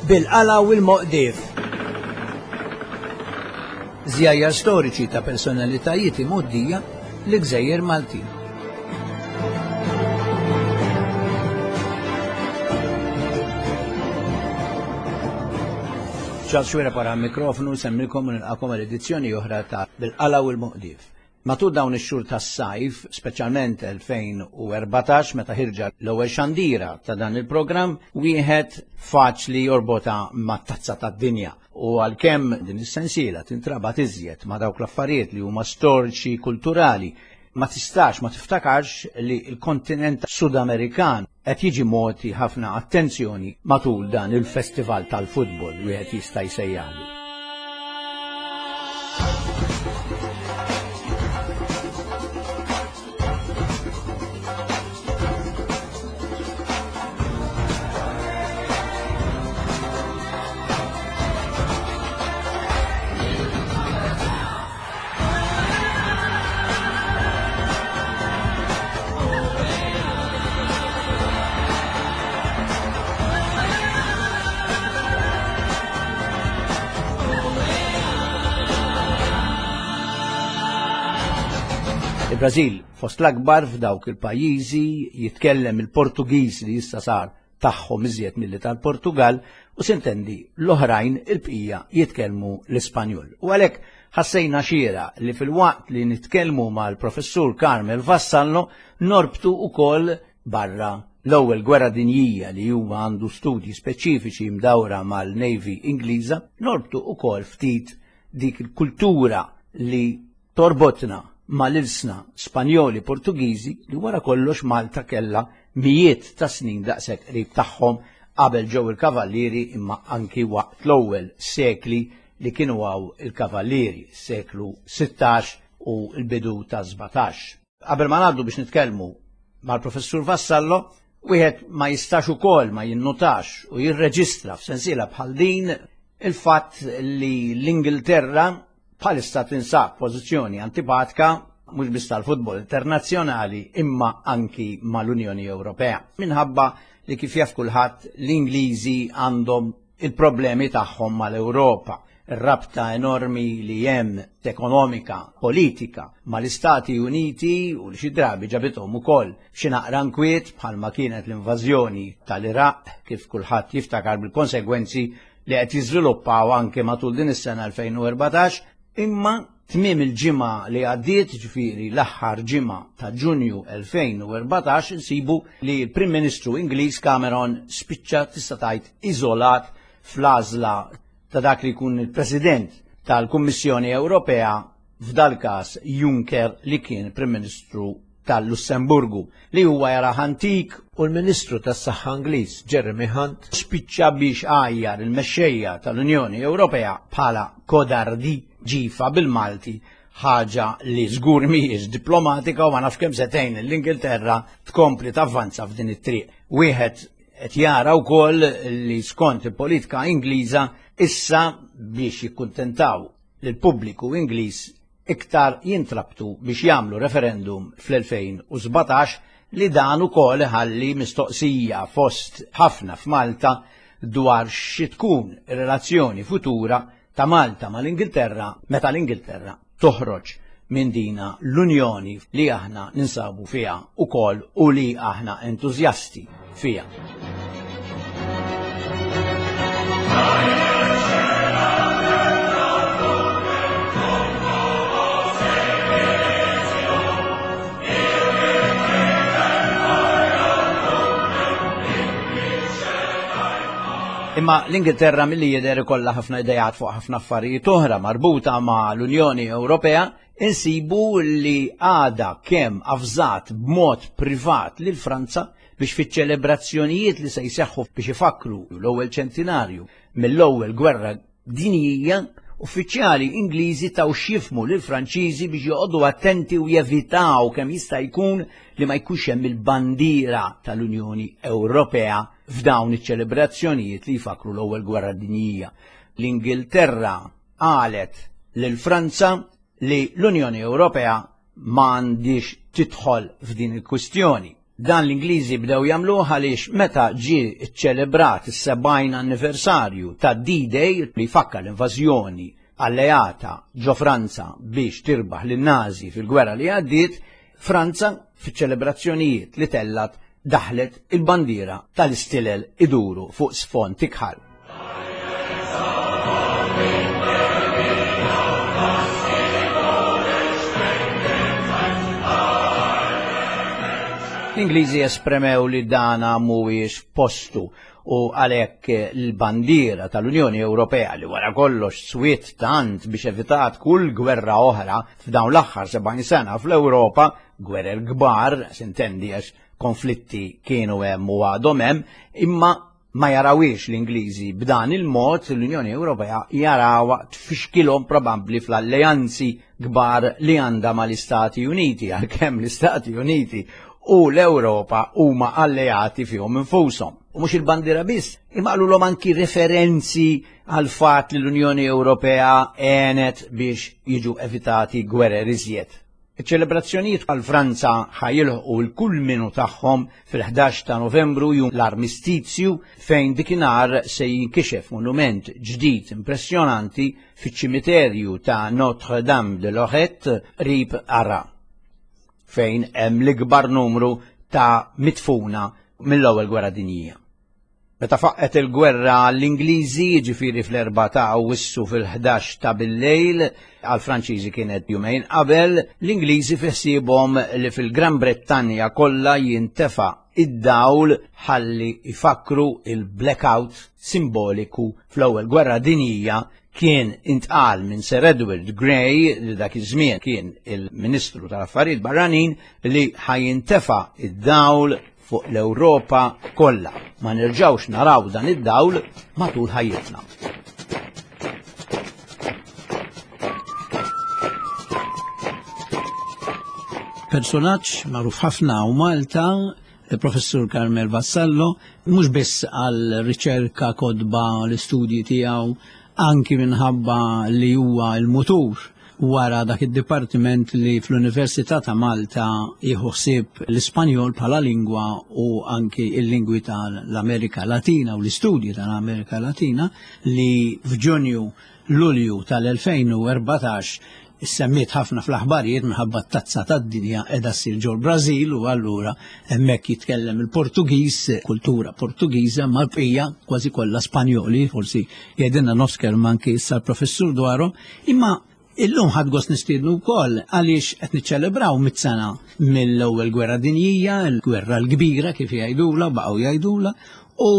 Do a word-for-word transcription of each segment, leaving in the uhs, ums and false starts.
Bil-qala u l-moqdif. Żjajjar storiċi ta' personalitajiet imgħoddija l-Gżejjer Maltin. Charles Xuereb wara mikrofonu nsellmilkom u nilqagħkom għal edizzjoni oħra ta' Bil-qala u l-moqdif. Matul dawn ix-xhur tas-sajf, speċjalment elfejn u erbatax meta ħirġa l-ewwel xandira ta' dan il-programm, wieħed faċli jorbota mat-tazza tad-dinja. U għalkemm din is-sensiela tintrabat iżjed ma' dawk l-affarijiet li huma storiċi kulturali, ma tistax ma tiftakarx li l-kontinent Sudamerikan qed jiġi mogħti ħafna attenzjoni matul dan il-festival tal-futbol, wieħed jista' jsejjaħlu. Il-Brażil fost l-akbar f'dawk il-pajjiżi, jitkellem il-Portugiż li issa sar tagħhom iżjed milli tal-Portugal, u sintendi l-oħrajn, il-bqija, jitkellmu l-Ispanjol. U għalhekk ħassejna xieraq li filwaqt li nitkellmu mal-professur Carmel Vassallo norbtu ukoll, barra l-ewwel gwerra dinjija li huwa għandu studji speċifiċi mdawra mal-Navy Ingliża, norbtu ukoll ftit dik il-kultura li torbotna mal-ilsna Spanjoli, Portugiżi, li wara kollox Malta kella mijiet ta' snin daqshekk qrib tagħhom qabel ġew il-kavallieri, imma anki waqt l-ewwel sekli li kienu hawn il-kavallieri, seklu sittax u l-bidu ta' sbatax. Qabel ma ngħaddu biex nitkellmu mal-professur Vassallo, wieħed ma jistax ukoll ma jinnutax u jirreġistra f'sensiela bħal din il-fatt li l-Ingilterra bħalissa tinsab pożizzjoni antipatika mhux biss tal-futbol internazzjonali imma anki mal-Unjoni Ewropea. Minħabba li, kif jaf kulħadd, l-Ingliżi għandhom il-problemi tagħhom mal-Ewropa. Ir-rabta enormi li hemm ekonomika, politika mal-Istati Uniti u li xi drabi ġabithom ukoll xi naqra nkwiet, bħalma kienet l-invażjoni tal-Iraq, kif kulħadd jiftakar, bil-konsegwenzi li qed jiżviluppaw anke matul din is-sena elfejn u erbatax. Imma tmiem il-ġimgħa li għaddiet, ġifieri l-aħħar ġimgħa ta' Ġunju elfejn u erbatax, insibu li l-Prim Ministru Ingliż Cameron spiċċa, tista' tgħid, iżolat fl-għażla ta' dak li jkun il-President tal-Kummissjoni Ewropea, f'dal każ Juncker, li kien Prim Ministru tal-Lussemburgu, li huwa jara antik, u l-Ministru tas-Saħħa Ingliż Jeremy Hunt spiċċa biex għajjar il-mexxejja tal-Unjoni Ewropea bħala kodardi, ġifa bil-Malti, ħaġa li żgur mhijiex diplomatika u ma nafx kemm se tgħin l-Ingilterra tkompli tavvanza f'din it-triq. Wieħed qed jara wkoll li skont il-politika Ingliża issa, biex jikkuntentaw lill-pubbliku Ingliż iktar, jintrabtu biex jagħmlu referendum fl-elfejn u sbatax, li dan ukoll ħalli mistoqsija fost ħafna f'Malta dwar xi tkun ir-relazzjoni futura ta' Malta mal-Ingilterra meta l-Ingilterra toħroġ minn dina l-Unjoni li aħna ninsabu fiha ukoll u li aħna entużjasti fiha. Imma l-Ingilterra milli jidher ikollha ħafna idejat fuq ħafna affarijiet oħra marbuta ma' l-Unjoni Ewropea. Insibu li għada kemm avżat b'mod privat lil Franza biex fiċ-ċelebrazzjonijiet li se jseħħu biex ifakru l-ewwel ċentinarju mill-ewwel gwerra dinjija, uffiċjali Ingliżi taw x'jifhmu lil Franċiżi biex joqogħdu attenti u jevitaw kemm jista' jkun li ma jkunx hemm il-bandiera tal-Unjoni Ewropea f'dawn iċ-ċelebrazzjonijiet li jfakru l-ewwel gwerra dinjija. L-Ingilterra qalet lil Franza li l-Unjoni Ewropea m'għandix tidħol f'din il-kwistjoni. Dan l-Ingliżi bdew jagħmluh għaliex meta ġie ċċelebrat is-sebgħin anniversarju ta' D-Day li jfakkar l-invażjoni alleata ġo Franza biex tirbaħ lin-Nazi fil-gwerra li għaddiet, Franza fiċ-ċelebrazzjonijiet li tellat daħlet il-bandiera tal-istilel iduru fuq sfond ikħal. L-Ingliżi esprimew li dana mhuwiex postu u għalhekk l-bandiera tal-Unjoni Ewropea li wara kollox swiet tant biex evitat kull gwerra oħra f'dawn l-aħħar sebgħin sena fl-Ewropa, gwerer kbar, sintendi għax konflitti kienu hemm u għadhom hemm, imma ma jarawiex l-Ingliżi b'dan il-mod l-Unjoni Ewropea jarawha tfixkilhom probabbli fl-alleanzi kbar li għandha mal-Istati Uniti, għalkemm l-Istati Uniti u l-Ewropa huma alleati fihom infushom. U mhux il-bandiera biss, imma qalulhom anki referenzi għal fatt li l-Unjoni Ewropea għenet biex jiġu evitati gwerer iżjed. Iċ-ċelebrazzjonijiet għal Franza ħajilħqu l-kulminu tagħhom fil-ħdax ta' Novembru, jum l-armistizju, fejn dikinhar se jinkixef monument ġdid impressjonanti fiċ-ċimiterju ta' Notre Dame de Lorette qrib Arras, fejn hemm l-ikbar numru ta' mitfuna mill-ewwel gwerra dinjija. Meta faqqet il-gwerra l-Ingliżi, jiġifieri fl-erbgħa ta' Awwissu fil-ħdax ta' billejl, għal-Franċiżi kienet jumejn qabel, l-Ingliżi fiħsiebhom li fil-Gran Brittanja kollha jintefa' id-dawl ħalli jfakru il-blackout simboliku fl-ewwel gwerra dinjija kien intqal minn Sir Edward Grey, li dak iż-żmien kien il-Ministru tal-Affarijiet Barranin, li ħajintefa' id-dawl fuq l-Ewropa kollha. Ma nerġgħux naraw dan id-dawl matul ħajjitna. Personaġġ magħruf ħafna u Malta, il-Professur Carmel Vassallo, mhux biss għal riċerka, kotba, l-istudji tiegħu, anki minħabba li huwa l-mutur wara dak id-dipartiment li fl-Università ta' Malta jieħu ħsieb l-Ispanjol bħala lingwa u anki il-lingwi tal-Amerika Latina u l-istudji tal-Amerika Latina, li f'Ġunju Lulju tal-elfejn u erbatax issemmiet ħafna fl-aħbarijiet minħabba t-tazza tad-dinja qiegħda ssir ġol Brażil, u allura hemmhekk jitkellem il-Portugiż, kultura Portugiża, ma l-bqija kważi kollha Spanjoli, forsi jgħidilna nofs kelma anki issa l-professur dwarhom, imma illum ħadd gost nistiednu wkoll għaliex qed niċċelebraw mitt sena mill-ewwel gwerra dinjija, l-gwerra l-kbira kif jgħidula, baqgħu jgħidula, u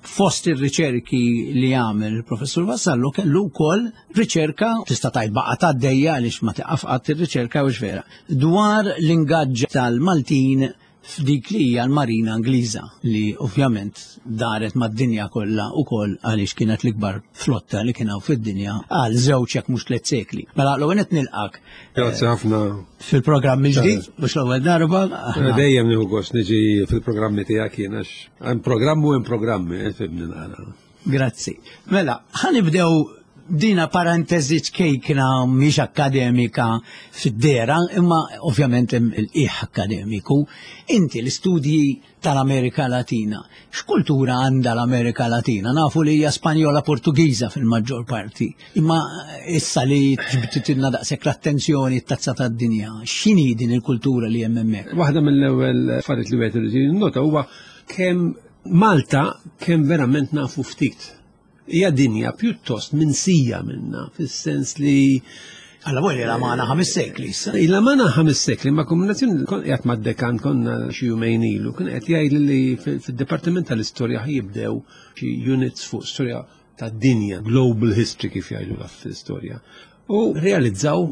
fost ir-riċerki li għamel il-Professur Vassallo kellu wkoll riċerka, tista' tgħid baqa' tgħaddejja għaliex ma tiqaf qatt ir-riċerka u vera, dwar l-ingaġġ tal-Maltin f'dik li hija l-Marina Ingliża, li ovvjament daret mad-dinja kollha wkoll għaliex kienet l-ikbar flotta li kien hawn fid-dinja għal żewġ jekk mhux tliet sekli. Mela l-ewwel qed nilqak. Grazzi ħafna. Fil-programm il-ġdid, mhux l-ewwel darba. Dejjem nieħu gost niġi fil-programmi tiegħek jien għax hemm programm u hemm programmi, eh, fimni naqra. Grazzi. Mela, ħanibdew dina parentesi ċkejkna mhix akademika fid-dera, imma ovvjament hemm il-qiegħ akademiku. Inti l-istudji tal-Amerika Latina, x'kultura għandha l-Amerika Latina? Nafu li hija Spanjola Portugiża fil-maġġor parti, imma issa li ġbtitilna daqshekk l-attenzjoni t-tazza tad-dinja, x'inhi din il-kultura li hemm hemmhekk? Waħda mill-ewwel affarijiet li wieħed irid jinnota huwa kemm Malta kemm verament nafu ftit. Hija dinja pjuttost minsija minna, fis-sens li Alla vuole la mana ħames sekli issa. La mana ħames sekli, ma kombinazzjoni kon qiegħed mad-dekan konna xi jumejn ilu, kien qed jgħid li fid-Dipartiment tal-Istorja jibdew xi units fuq storja tad-dinja, global history kif jgħidu fl-istorja. U realizzaw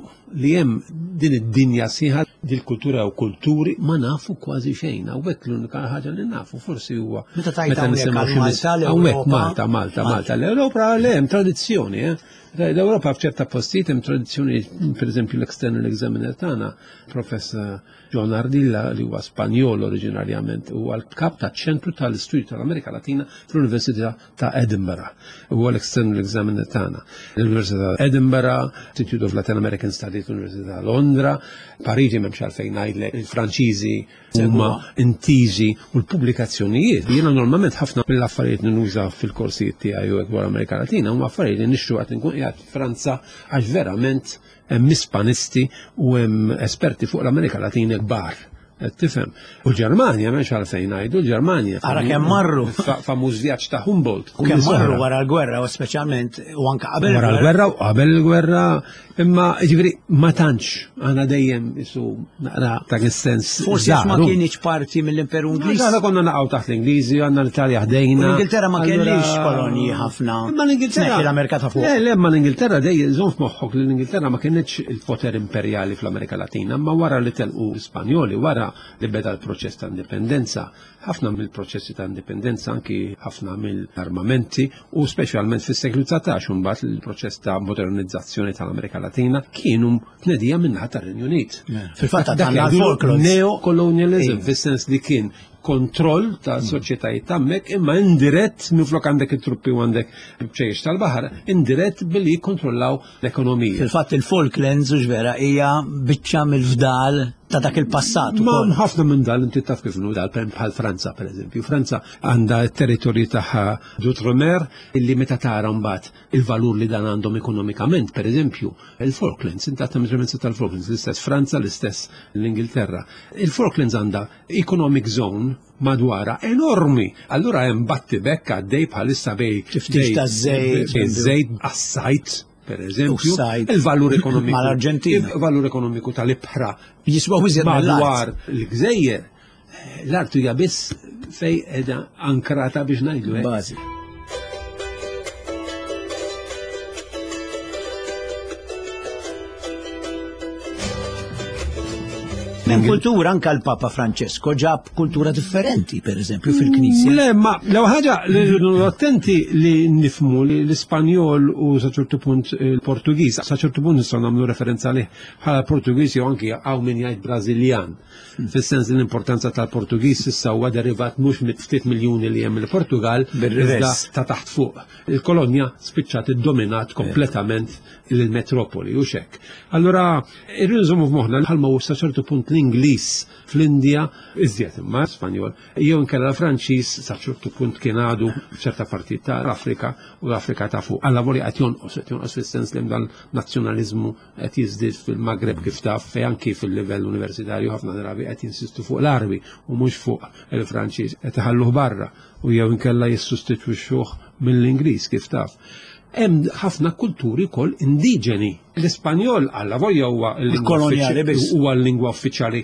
li hemm din id-dinja sħiħa, dil-kultura u kulturi ma nafu kważi xejn. Hawnhekk l-unika ħaġa li nafu forsi huwa Meta tajt meta hawnhekk nisimgħu għal xi Malta, mis- l-Ewropa. Hawnhekk Malta, Malta, Malta. L-Ewropa le hemm tradizzjoni, eh? L-Ewropa f'ċerta postijiet hemm tradizzjoni, pereżempju l-external examiner tagħna, Professor John Ardila, li huwa Spanjol oriġinarjament, huwa l-kap taċ-ċentru tal-Istudju tal-Amerika Latina fl-Università ta' Edinburgh. Huwa l-external examiner tagħna. L-Università ta' Edinburgh, Institute of Latin American Studies, l-Università ta' Londra, Parigi m'hemmx m'hemmx għalfejn ngħidlek, il-Franċiżi huma intiżi u l-pubblikazzjonijiet. Jiena normalment ħafna mill-affarijiet li nuża fil-korsijiet tiegħi u dwar Amerika Latina huma affarijiet li nixtru qed nkun qiegħed Franza għax verament hemm Ispanisti u hemm esperti fuq l-Amerika Latina kbar. Tifhem. U l-Ġermanja m'hemmx għalfejn ngħidu l-Ġermanja. Ara kemm marru. Famuż vjaġġ ta' Humboldt. U kemm marru wara l-gwerra u speċjalment u anke qabel Wara l-gwerra u qabel il-gwerra, imma jiġifieri ma tantx għandna dejjem isu naqra ta' sens. Forsi ma kienx parti mill-Imperu Ingliż. Aħna konna naqgħu taħt l-Ingliżi, għandna l-Italja ħdejna. L-Ingilterra ma kellix kolonji ħafna. Imma l-Ingilterra. L-Amerika ta' fuq. Le, le, ma l-Ingilterra dejjem żomm f'moħħok li l-Ingilterra ma kienx il-poter imperjali fl-Amerika Latina, imma wara li telqu Spanjoli, wara li beda l-proċess ta' indipendenza, ħafna mill-proċessi ta' indipendenza, anki ħafna mill-armamenti u speċjalment fis-seklu dsatax imbagħad il-proċess ta' modernizzazzjoni tal-Amerika Latina kienu tnedija min-naħa tar-Renju Unit. Fil-fatt għandna l-Falklands. Neocolonialism, fis-sens li kien kontroll ta' soċjetajiet hemmhekk imma indirett minflok għandek it-truppi u għandek bċejjex tal-baħar, indirett billi jikkontrollaw l-ekonomija. Fil-fatt il-Falklands u vera hija biċċa mill-fdal ta' dak il-passat. Ma ħafna minn dal inti taf kif inhu dal bħal Franza pereżempju. Franza għandha t-territorju tagħha d'Outre-mer illi meta tara mbagħad il-valur li dan għandhom ekonomikament, pereżempju, il-Falklands, inti għandha measurements tal-Falklands, l-istess Franza, l-istess l-Ingilterra. Il-Falklands għandha economic zone madwara enormi. Allura hemm battibekk għaddej bħalissa bej tiftix taż-żejt, żejt għas-sajt. Per eżempju, il-valur ekonomiku mal-Arġentina, il-valur ekonomiku tal-ibħra jiswa iżjed madwar l-gżejjer, l-art hija biss fej qiegħda ankrata biex ngħidu hekk. Bażi. Hemm kultura anke l-Papa Francesco ġab kultura differenti, per eżempju, fil-Knisja. Le, ma l ħaġa li rridu attenti li nifhmu li l-Ispanjol u sa ċertu punt il-Portugiż, sa ċertu punt nistgħu nagħmlu referenza lih bħala Portugiż jew anki hawn min jgħid Brażiljan. Fis-sens li l-importanza tal-Portugiż issa huwa derivat mhux mit ftit miljuni li hemm il-Portugal, iżda ta' taħt fuq. Il-kolonja spiċċat iddominat kompletament il-metropoli u xek. Allura irridu nżommu f'moħħna bħalma hu sa ċertu punt l-Ingliż fl-Indja iżjed imma Spanjol, jew inkella l-Franċiż sa ċertu punt kien għadu f'ċerta partijiet tal-Afrika u l-Afrika ta' fuq. Alla voli qed jonqos, qed jonqos fis-sens li hemm dan nazzjonaliżmu qed jiżdied fil-Magreb kif taf, fejn anki fil-livell universitarju ħafna drabi qed jinsistu fuq l-Arbi u mhux fuq il-Franċiż, qed iħalluh barra u jew inkella jissostitwixxuh mill-Ingliż kif taf. Hemm ħafna kulturi wkoll indiġeni. L-Ispanjol alla volja huwa huwa l-lingwa uffiċjali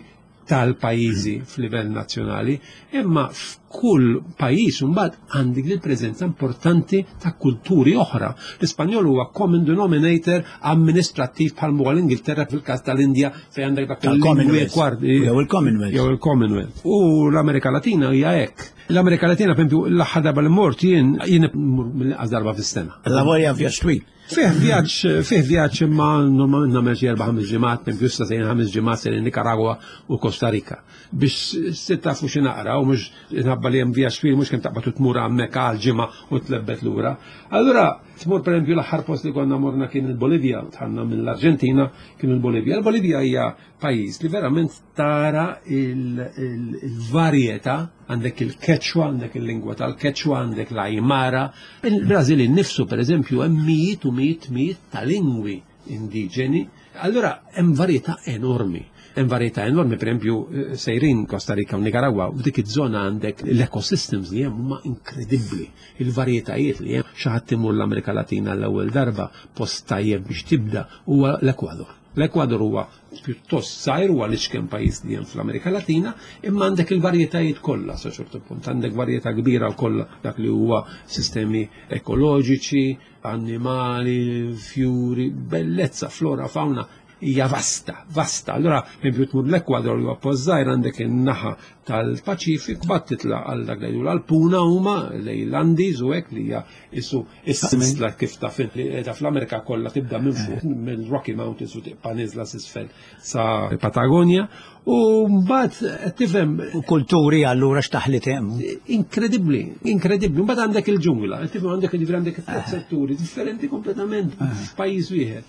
tal-pajjiżi f'livell nazzjonali, imma f'kull pajjiż imbagħad għandek il-preżenza importanti ta' kulturi oħra. L-Ispanjol huwa common denominator amministrattiv bħal huwa l-Ingilterra fil-każ tal-Indja fejn għandek dak il-Commonwealth. Jew il-Commonwealth. Jew il-Commonwealth. U l-Amerika Latina hija hekk. L-Amerika Latina, per esempio, l-aħħar darba li mort jien jien mill-inqas darba fis-sena. La volja vjaġġ twil. Fih vjaġġ, fih vjaġġ imma normalment nagħmel xi erba' ħames ġimgħat, per esempio issa sejn ħames ġimgħat sejn Nicaragua u Costa Rica. Biex se tafu xi naqra u mhux inħabba li hemm vjaġġ twil mhux kemm taqbad tmur hemmhekk għal ġimgħa u tlebbet lura. Allura tmur per esempio l-aħħar post li konna morna kien il-Bolivja, tħanna mill-Arġentina kien il-Bolivja. Il-Bolivja hija pajjiż li verament tara il-varjetà, għandek il-Quechua, għandek il-lingwa tal-Quechua, għandek l-Aymara. Il-Brażil innifsu per eżempju hemm mijiet u mijiet mijiet ta' lingwi indiġeni. Allura hemm varjetà enormi. Hemm varjetà enormi, per esempio sejrin Costa Rica u Nicaragua, u dik iż-żona għandek l-ecosystems li hemm huma inkredibbli. Il-varjetajiet li hemm, xi ħadd imur l-Amerika Latina l-ewwel darba post tajjeb biex tibda huwa l-Ekwador. L-Ekwador huwa pjuttost żgħir, huwa l-iċken pajjiż li hemm fl-Amerika Latina, imma għandek il-varjetajiet kollha sa ċertu punt, għandek varjetà kbira wkoll dak li huwa sistemi ekoloġiċi, annimali, fjuri, bellezza, flora, fauna hija vasta, vasta. Allura, per tmur l-Ekwador huwa post żgħir, għandek in-naħa tal-Paċifik, bat titla' għal dak li jgħidu l-Alpuna huma lejn l-Andes u hekk li hija isu is-sinsla kif taf li qiegħda fl-Amerika kollha tibda minn fuq mill-Rocky Mountains u tibqa' niżla s'isfel sa Patagonia. U mbagħad tifhem kulturi allura x'taħlit hemm. Inkredibbli, inkredibbli. Mbagħad għandek il-ġungla, tifhem għandek jiġifieri għandek tliet setturi differenti kompletament f'pajjiż wieħed.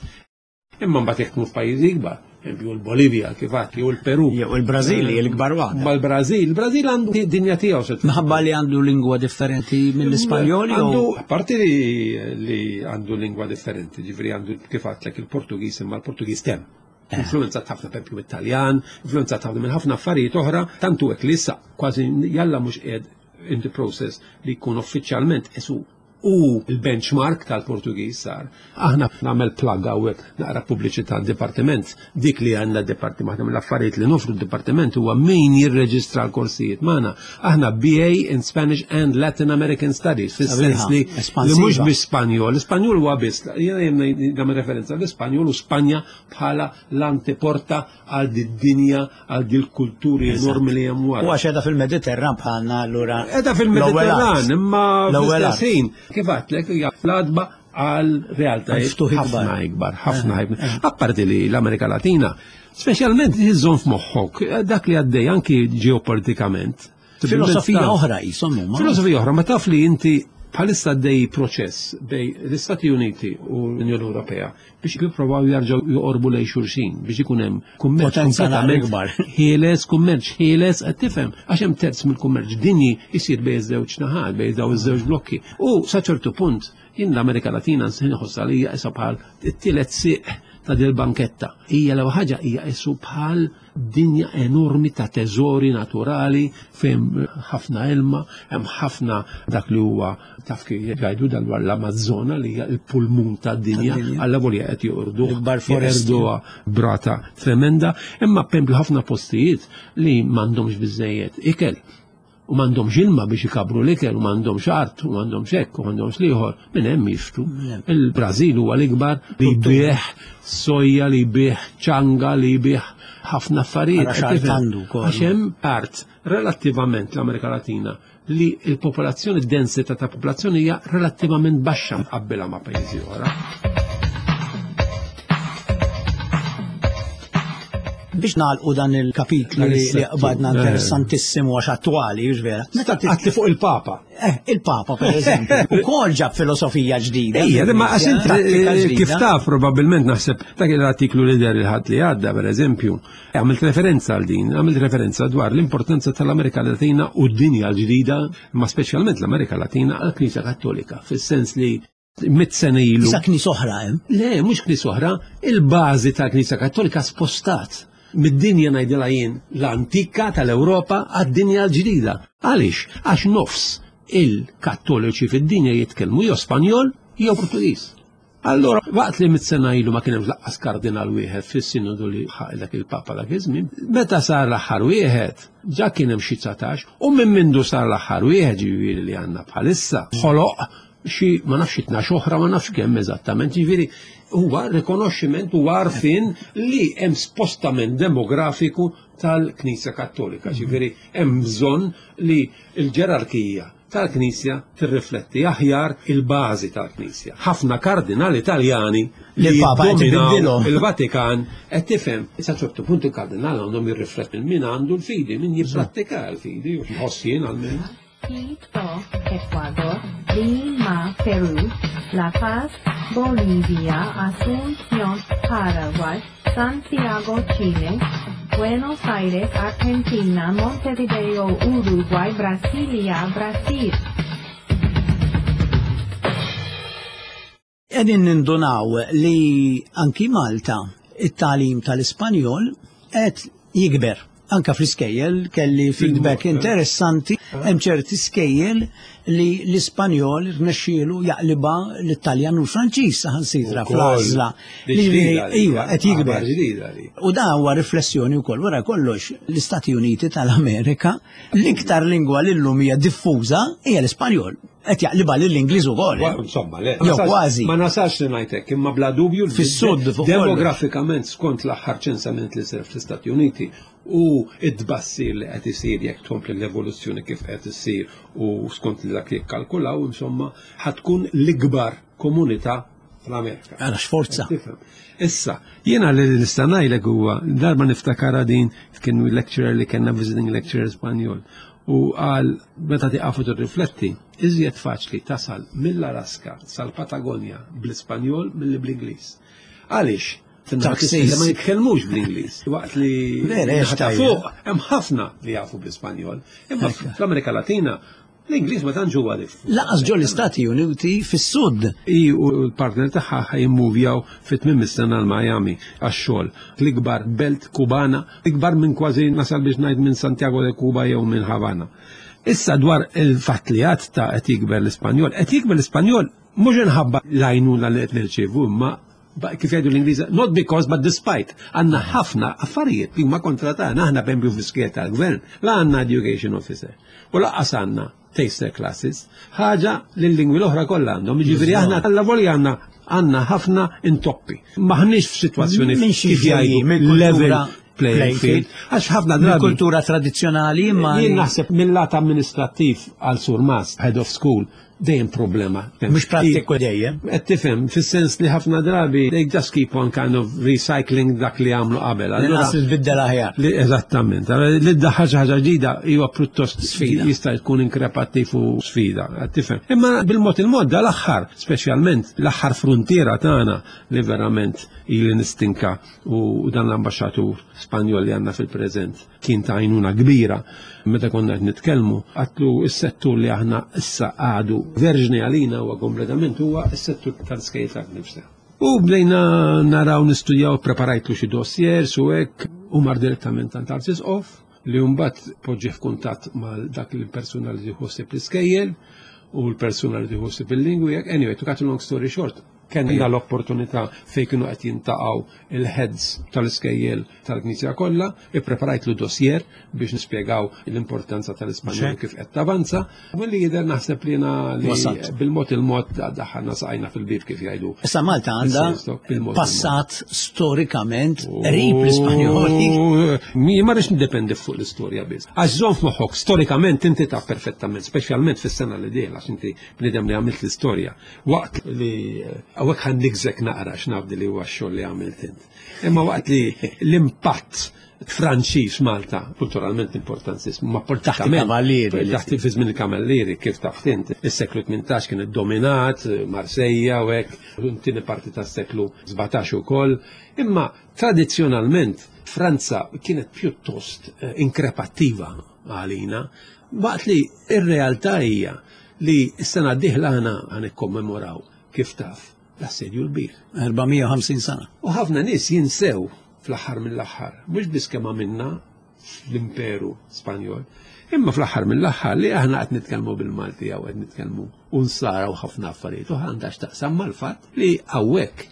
Imma mbagħad jekk tmur f'pajjiżi ikbar, Eżempju l-Bolivja kif għad, jew il-Peru. Jew il-Brażil l-ikbar waħda. Ma l-Brażil, il-Brażil għandu dinja tiegħu. Minħabba li għandu lingwa differenti mill-Ispanjol jew Għandu, apparti li, li għandu lingwa differenti, ġifieri għandu kif għadtlek il-Portugiż, imma l-Portugiż tem. Influenzat ħafna per esempio Italjan, influenzat ħafna minn ħafna affarijiet oħra, tantu hekk li issa kważi jalla mhux qiegħed in the process li jkun uffiċjalment isu u il-benchmark tal-Portugiż sar. Aħna nagħmel plug hawnhekk, naqra pubbliċità dipartiment, dik li għandna dipartiment, aħna mill-affarijiet li nofru d-dipartiment huwa min jirreġistra l-korsijiet magħna. Aħna B A in Spanish and Latin American Studies, fis-sens li li mhux biss Spanjol, l-Ispanjol huwa biss, jiena nagħmel referenza l-Ispanjol u Spanja bħala l-anteporta għal did-dinja, għal dil-kulturi enormi li hemm wara. U għax qiegħda fil-Mediterran bħalna allura. Qiegħda fil-Mediterran, imma fl-istess ħin, kif għedtlek, hija l-għatba għal realtajiet ħafna ikbar, ħafna ikbar. Apparti li l-Amerika Latina, speċjalment iżżomm f'moħħok dak li għaddej anki ġeopolitikament. Filosofija oħra jisom huma. Filosofija oħra, ma taf li inti bħalissa għaddej proċess bejn l-Istati Uniti u l-Unjoni Ewropea biex jippruvaw jarġgħu joqorbu lejn xulxin biex ikun hemm kummerċ kompletament ikbar. Ħieles, kummerċ ħieles, qed tifhem, għax hemm terz mill-kummerċ dinji jsir bejn iż-żewġ naħat, bejn daw iż-żewġ blokki. U sa ċertu punt jien l-Amerika Latina nħossha li hija issa bħal it-tielet sieq ta' dil banketta. Hija l ħaġa hija isu bħal dinja enormi ta' teżori naturali fejn ħafna ilma, hemm ħafna dak li huwa taf kif jgħidu dwar l-Amazzona li hija l-pulmun tad-dinja, alla volja qed joqordu jeqirduha brata tremenda, imma pemplu ħafna postijiet li m'għandhomx biżejjed ikel. U m'għandhomx ilma biex ikabru l-ikel, u m'għandhomx art, u m'għandhomx hekk, u m'għandhomx liħor, minn hemm jixtru. Il-Brażil huwa l-ikbar li jbigħ soja, li jbigħ ċanga, li jbigħ ħafna affarijiet. Għax hemm art relattivament l-Amerika Latina li l-popolazzjoni, d-densità ta' popolazzjoni hija relattivament baxxa mqabbilha ma' pajjiżi oħra. Biex nagħlqu dan il-kapitlu li qbadna interessantissimu għax attwali, hux vera? Meta għatli fuq il-Papa. Eh, il-Papa per eżempju. Ukoll ġab filosofija ġdida. Ejja, ma għax inti kif taf probabbilment naħseb dak l-artiklu li der il-ħadd li għadda per eżempju, għamilt referenza għal din, għamilt referenza dwar l-importanza tal-Amerika Latina u d-dinja l-ġdida, ma speċjalment l-Amerika Latina għall-Knisja Kattolika, fis-sens li mit sena ilu. Issa knisja oħra hemm? Le, mhux knisja oħra, il-bażi tal-Knisja Kattolika spostat mid-dinja ngħidilha jien l-antika tal-Ewropa għad-dinja l-ġdida. Għaliex? Għax nofs il-Kattoliċi fid-dinja jitkellmu jew Spanjol jew Portugiż. Allora, waqt li mit sena ilu ma kien hemm laqqas kardinal wieħed fis-sinodu li dak il-Papa dak iż-żmien, meta sar l-aħħar wieħed, ġa kien hemm xi dsatax, u minn mindu sar l-aħħar wieħed ġifieri li għandna bħalissa, ħoloq xi ma nafx tnax oħra, ma nafx kemm eżattament, ġifieri huwa rikonoxximent u għarfien li hemm spostament demografiku tal-Knisja Kattolika, ġifieri hemm bżonn li l-ġerarkija tal-Knisja tirrifletti aħjar il-bażi tal-Knisja. Ħafna kardinali Italjani li l-Papa qed ibiddilhom il-Vatikan qed tifhem sa ċertu punt il-kardinal għandhom jirrifletti min għandu l-fidi, min jipprattika l-fidi, u nħoss jien għalmenu. Quito, Ecuador, Lima, Peru, La Paz, Bolivia, Asunción, Paraguay, Santiago, Chile, Buenos Aires, Argentina, Montevideo, Uruguay, Brasilia, Brasil. Qegħdin nindunaw li anki Malta it-tagħlim tal-Ispanjol qed jikber. Anka fl-iskejjel kelli feedback interessanti, hemm ċerti skejjel li l-Ispanjol rnexxielu jaqliba l-Italjan u l-Franċiż saħansitra fl-għażla. Iva, qed jikber. U da huwa riflessjoni wkoll wara kollox l-Istati Uniti tal-Amerika l-iktar lingwa li llum hija diffuża hija l-Ispanjol. Qed jaqliba lill-Ingliż ukoll. Insomma, le. Jew kważi. Ma nasax li ngħidlek, imma bla dubju fis-sud demografikament skont l-aħħar ċensament li sar fl-Istati Uniti u id-bassir li qed isir jekk tkompli l-evoluzzjoni kif qed issir u skont li dak li kkalkulaw, insomma, ħatkun l-ikbar komunità fl-Amerika. Għala x'forza. Issa, jiena li nista' ngħidlek huwa darba niftakara din kien lecturer li kellna visiting lecturer Spanjol u qal meta tiqafu tirrifletti, iżjed faċli tasal mill-Alaska sal-Patagonja bl-Ispanjol milli bl-Ingliż. Għaliex? Taxis. Ma jitkellmux bl-Ingliż. Waqt li Vera, naħa ta' tajja. fuq hemm ħafna li jafu bl-Ispanjol. Imma fl-Amerika Latina l-Ingliż ma tantx huwa diffuż. Lanqas ġo l-Istati Uniti fis-sud. I u l-partner tagħha ħa jimmuvjaw fit-tmiem is-sena l-Miami għax-xogħol. L-ikbar belt Kubana, ikbar minn kważi nasal biex ngħid minn Santiago de Cuba jew minn Havana. Issa dwar il-fatt li għad ta' qed jikber l-Ispanjol, qed jikber l-Ispanjol mhux inħabba l-għajnuna li qed nirċievu, imma ba- kif jgħidu l-Ingliż, not because but despite, għandna ħafna affarijiet li huma kontra tagħna, aħna b'empju fl-iskejjel tal-gvern, la għandna education officer u lanqas għandna taster classes, ħaġa li l-lingwi l-oħra kollha għandhom, jiġifieri aħna alla volja għandna għandna ħafna intoppi. Maħniex f'sitwazzjoni Minn xi kif ġejjin, jgħidu mill-kultura level playing field, għax ħafna drabi Mill-kultura tradizzjonali imma Jien naħseb mill-lat amministrattiv għal Surmas, head of school, dejjem problema. mhux prattiku dejjem. Qed tifhem, fis-sens li ħafna drabi they just keep on kind of recycling dak li għamlu qabel. Allura- L-inqas li tbiddel aħjar. li eżattament, Allora, li ddaħħal xi ħaġa ġdida huwa pjuttost Sfida. jista' jkun inkrepattiv u sfida, qed tifhem. Imma bil-mod il-mod dal-aħħar, speċjalment l-aħħar frontiera tagħna li verament ili nistinka u dan l-ambaxxatur Spanjol li għandna fil-preżent kien ta' għajnuna kbira meta konna qed nitkellmu għatlu s-settur li aħna issa għadu verġni għalina huwa kompletament huwa s-settur tal-skejjel tal-nifsa. U bdejna naraw nistudjaw, preparajtlu xi dossiers u hekk, u mar direttament għand Arċisqof li mbagħad poġġi f'kuntatt mal dak il-persuna li tieħu l-iskejjel u l-persuna li tieħu il-lingwi. hekk. Anyway, to cut a long story short, kellna l-opportunità fejn kienu qed jintaqgħu il-heads tal-iskejjel tal-Knisja kollha, ippreparajtlu dossier biex nispjegaw l-importanza tal-Ispanjol kif qed tavanza. Milli jidher naħseb li jiena li Wasalt. bil-mod il-mod daħħalna saqajna fil-bib kif jgħidu. Issa Malta għandha Bil-mod passat storikament qrib l-Ispanjoli. Mi ma rridx niddependi fuq l-istorja biss. Għax żomm f'moħħok, storikament inti taf perfettament, speċjalment fis-sena li dieħla għax inti bniedem li għamilt l-istorja. Waqt li hawnhekk ħa nigżek naqra x'nafdi li huwa x-xogħol li għamilt int. Imma waqt li l-impatt Franċiż Malta, kulturalment importantissimo, ma politikament. il-Kavallieri. Taħt fi żmien il-Kavallieri, kif taf int, is-seklu tmintax kien iddominat, Marseilla u hekk, tieni parti tas-seklu sbatax ukoll. Imma tradizzjonalment Franza kienet pjuttost eh, inkrepattiva għalina, waqt li ir-realtà hija li s-sena d-dieħla aħna ħa nikkommemoraw kif taf l-assedju l-kbir. erba' mija u ħamsin sena. U ħafna nies jinsew fl-aħħar mill-aħħar, mhux biss kemm għamilna fl-Imperu Spanjol, imma fl-aħħar mill-aħħar li aħna qed nitkellmu bil-Malti jew qed nitkellmu u nsara u ħafna affarijiet u għandha x'taqsam mal-fatt li hawnhekk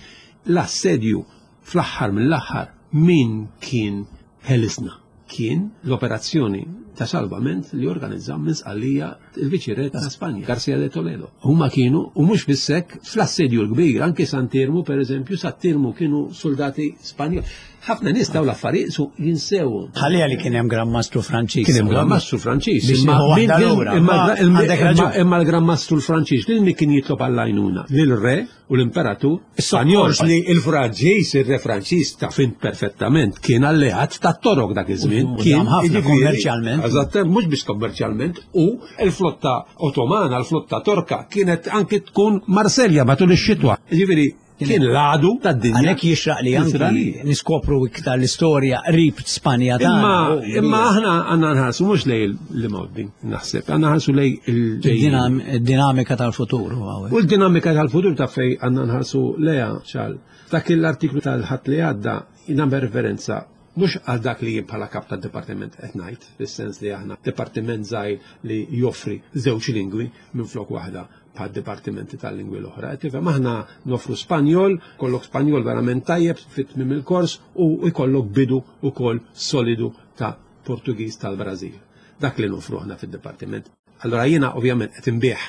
l-assedju fl-aħħar mill-aħħar min kien ħelisna kien l-operazzjoni ta' salvament li organizzaw minn Sqallija il-Viċi-Re ta' Spanja, Garcia de Toledo. Huma kienu, u mhux biss hekk, fl-assedju l-kbir, anke Sant'Iermu, per eżempju, Sant'Iermu kienu soldati Spanjol. Ħafna nies daw l-affarijiet su jinsewhom. Ħalliha li kien hemm Gran Mastru Franċiż. Kien hemm Gran Mastru Franċiż. Biex Imma jieħu waħda min- lura. imma- Ma imma- għandek raġun. imma l-Gran Mastru l-Franċiż lil min kien jitlob għall-għajnuna? Lil-re u l-Imperatur Spanjol li il-Franċiż, il-re Franċiż taf int perfettament kien alleat tat-Torok dak iż-żmien. U Kien dam ħafna jiġifieri- kommerċjalment. Eżatt, mhux biss kommerċjalment, u l-flotta Ottomana, l-flotta Torka kienet anki tkun Marselja matul ix-xitwa. Jiġifieri kien l-għadu tad-dinja. Għalhekk jixraq li anki Israeli. niskopru iktar l-istorja qrib Spanja tagħna. Imma imma aħna għandna nħarsu mhux lej l-imgħoddi, naħseb, għandna nħarsu lej il-ġejjin. Id-dinamika tal-futur. huwa U l-dinamika tal-futur ta' fej għandna nħarsu leja ċal. Dak l-artiklu tal-ħadd li għadda jnagħmel referenza mhux għal dak li jien bħala kap tad-dipartiment qed ngħid, fis-sens li aħna dipartiment żgħir li joffri żewġ lingwi minn flok waħda bħal dipartimenti tal-lingwi l-oħra. Qed tifhem aħna nofru Spanjol, kollok Spanjol verament tajjeb fit-tmiem il-kors u jkollok bidu ukoll solidu ta' Portugiż tal-Brażil. Dak li nofru aħna fid-dipartiment. Allora jiena ovvjament qed inbih,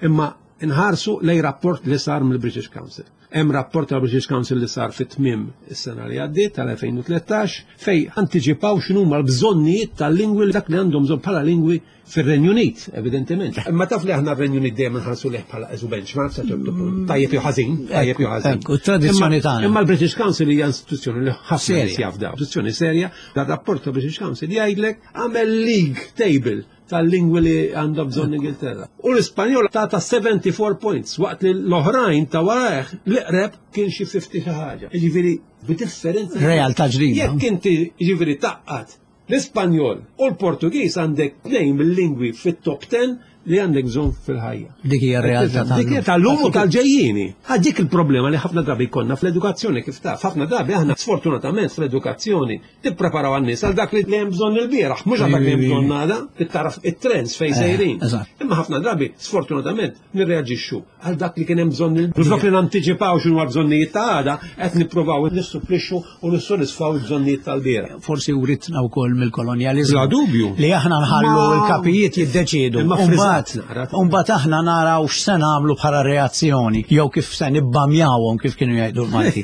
imma nħarsu lej rapport li sar mill-British Council. Hemm rapport tal-British Council li sar fit-tmiem is-sena li għaddiet tal-elfejn u tlettax fej antiċipaw x'inhuma l-bżonnijiet tal-lingwi dak li għandhom bżonn bħala lingwi fir-Renju Unit, evidentement. Imma taf li aħna r-Renju Unit dejjem nħarsu leh bħala eżu benchmark sa ċertu punt. Tajjeb jew ħażin, tajjeb jew ħażin. Ekku, tradizzjoni Imma- tagħna. Imma l-British Council hija istituzzjoni li ħafna Serja. nies jafdaw. Istituzzjoni serja, dar rapport tal-British Council jgħidlek għamel league table tal-lingwi li għandha bżonn Ingilterra. U l-Ispanjol tata seventy-four points, waqt li l-oħrajn ta' warajh l-eqreb kien xi fifty xi ħaġa. Jiġifieri b'differenza. Realtà ġdida. Jekk inti jiġifieri taqqat l-Ispanjol u l-Portugiż għandek tnejn mill-lingwi fit-top ten li għandek bżonn fil-ħajja. Dik hija r-realtà tal-lum. Dik hija tal-lum u tal-ġejjieni. Għad dik il-problema li ħafna drabi jkollna fl-edukazzjoni kif taf. Ħafna drabi aħna sfortunatament fl-edukazzjoni tippreparaw għan-nies għal dak li hemm bżonn il-bieraħ, mhux għal dak li hemm bżonn għada, tittaraf it-trends fejn sejrin. Imma ħafna drabi sfortunatament nirreaġixxu għal dak li kien hemm bżonn il-bieraħ. Flok li nantiċipaw x'inhu l-bżonnijiet ta' għada, qed nippruvaw nissupplixxu u nissodisfaw il-bżonnijiet tal-bieraħ. Forsi writna wkoll mill-kolonjaliżmu. Bla dubju. Li aħna nħallu l-kapijiet jiddeċiedu. Umbagħad aħna naraw x'se nagħmlu bħala reazzjoni jew kif se nibbamjawhom kif kienu jgħidu l-Malti.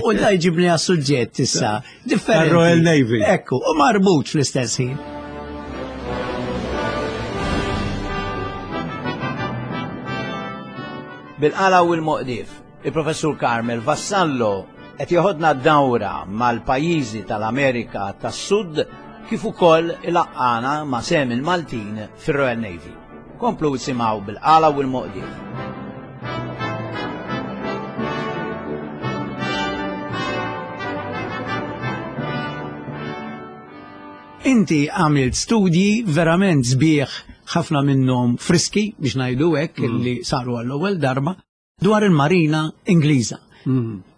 U da jġibni għas-suġġett issa differenti. Royal Navy. Ekku, u marbut fl-istess ħin. Bil-qala u l-moqdif, il-Professur Carmel Vassallo qed joħodna dawra mal-pajjiżi tal-Amerika tas-Sud kif ukoll ilaqqana ma' sem il-Maltin fir-Royal Navy. Komplu isimgħu bil-qala u l-moqdif. Inti għamilt studji verament sbieħ, ħafna minnhom friski biex ngħidu hekk li saru għall-ewwel darba dwar il-Marina Ingliża.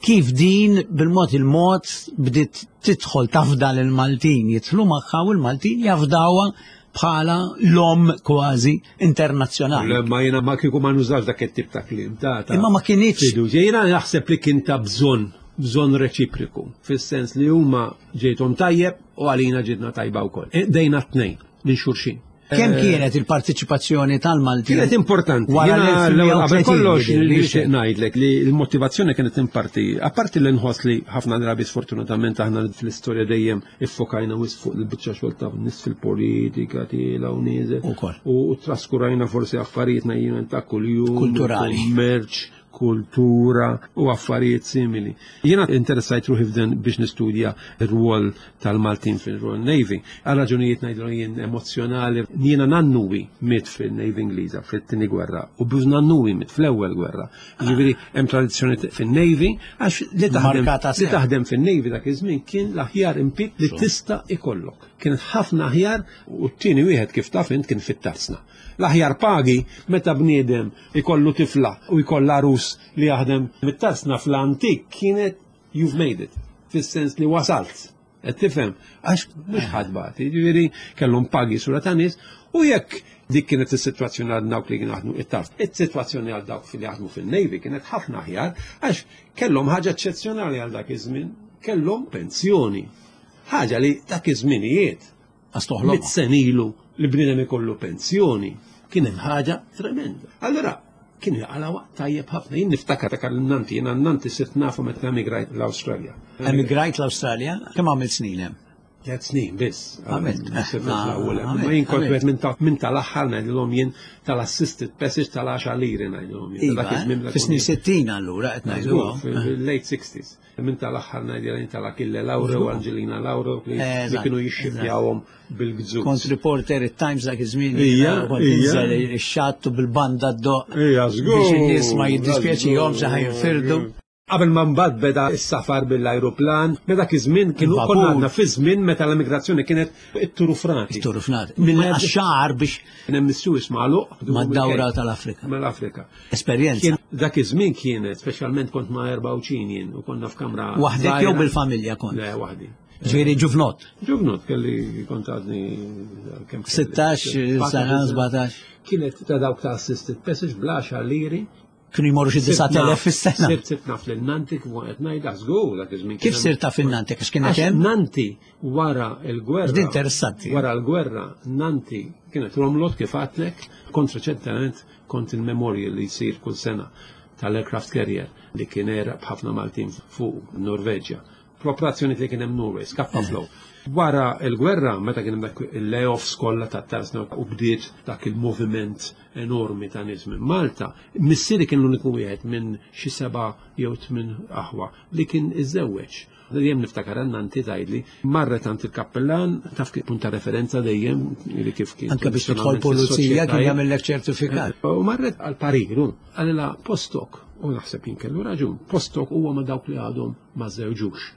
Kif din bil-mod il-mod bdiet tidħol tafda l-Maltin, jidħlu magħha u l-Maltin jafdawha bħala l-om kważi internazzjonali. Ma jiena ma kieku ma nużax dak it-tip ta' kliem ta' Imma ma kinitx. Jiena naħseb li kien ta' bżonn, bżonn reċipriku, fis-sens li huma ġejthom tajjeb u għalina ġietna tajba wkoll. Dejna t-tnejn minn xulxin. Kemm kienet il-partiċipazzjoni tal-Maltin? Kienet importanti. Qabel kollox nixtieq ngħidlek li l-motivazzjoni kienet imparti. Apparti li nħoss li ħafna drabi sfortunatament aħna fl-istorja dejjem iffokajna wisq fuq il-biċċa xogħol ta' nies fil-politika tiela u nieżel. U traskurajna forsi affarijiet jiena ta' kuljum. Kulturali. Kummerċ, kultura u affarijiet simili. Jiena interessajt ruħi f'dan biex nistudja r-rwol tal-Maltin fil-Royal Navy. Għal raġunijiet ngħidlu jien emozjonali, jiena nannuwi miet fil-Navy Ingliża fit-tieni gwerra u buż nannuwi miet fl-ewwel gwerra. Jiġifieri hemm tradizzjoni fin-Navy għax li taħdem li taħdem fin-Navy dak iż-żmien kien l-aħjar impjieg li tista' ikollok. Kien ħafna aħjar u t-tieni wieħed kif taf int kien fit-tarsna. L-aħjar pagi meta bniedem ikollu tifla u jkollha rus li jaħdem mit-tarsna fl-antik kienet you've made it, fis-sens li wasalt. Qed tifhem, għax mhux ħadd bagħti, jiġifieri kellhom pagi sura ta' nies u jekk dik kienet is-sitwazzjoni għal dawk li kienu jaħdmu it-tars. Is-sitwazzjoni għal dawk li jaħdmu fil-Navy kienet ħafna aħjar għax kellhom ħaġa eċċezzjonali għal dak iż-żmien, kellhom pensjoni. Ħaġa li dak iż-żminijiet Astoħlom. Mit senilu li bniedem ikollu pensjoni kien hemm ħaġa tremenda. Allura kien jaqala waqt tajjeb ħafna. Jien niftakar ta' Nanti, jiena Nanti sirt nafu meta emigrajt l-Awstralja. Emigrajt l-Awstralja? Kemm għamilt snin hemm? Tliet snin biss. Għamilt. Ma jien kont wieħed minn tal-aħħar ngħidilhom jien tal-assisted passage tal-għaxar liri ngħidilhom jien. Iva, fis-snin sittin allura qed ngħidu. Fil-late sixties. Minn tal-aħħar ngħidilhom tal-Achille Lauro u Angelina Lauro li kienu jixxifjawhom bil-gżuz. Kont reporter it-Times dak iż-żmien. Ija, kont inżel ix-xatt u bil-banda d-doq. Ija, żgur. Biex in-nies ma jiddispjaċihomx xi ħajnfirdu. Qabel ma mbagħad beda s-safar bil-ajruplan, meta dak iż-żmien kienu konna għadna fi żmien meta l-immigrazzjoni kienet it-turufrati. It-turufrati. Minn għax-xahar biex kien hemm is-Suez magħluq. Mad-dawra tal-Afrika. Mal-Afrika. Esperjenza. Dak iż-żmien kienet, speċjalment kont ma' erba' uċin jien u konna f'kamra. Waħdek jew bil-familja kont? Le, waħdi. Ġifieri ġuvnot. Ġuvnot kelli kont għadni kemm. Sittax sena, sbatax. Kienet ta' dawk ta' assisted passage bla għaxar liri. Kienu jmorru xi disa' telef fis-sena. Sirt sirt naf lil Nanti kif qed ngħidha żgur dak iż-żmien. Kif sirt taf il-Nanti għax kienet hemm? Nanti wara l-gwerra. Din interessanti. Wara l-gwerra Nanti kienet romlot kif għadlek, kont reċentement kont il-memorial li jsir kull sena tal-aircraft carrier li kien era b'ħafna Maltin fuq Norveġja. Kooperazzjoni li kien hemm Norway, Scapa Flow. Wara il-gwerra, meta kien hemm dak il-layoffs kollha ta' tarsna u bdiet dak il-moviment enormi ta' nies minn Malta, missieri kien l-uniku wieħed minn xi seba' jew tmien aħwa li kien iżżewweġ. Dejjem niftakar għan-nanti tgħidli, marret għand il-kappellan, taf kif punt ta' referenza dejjem li kif kien. Anke biex tidħol pulizija kien jagħmellek ċertifikat. U marret għal pariru, qalilha postok, u naħseb jien kellu raġun, postok huwa ma' dawk li għadhom ma żewġux.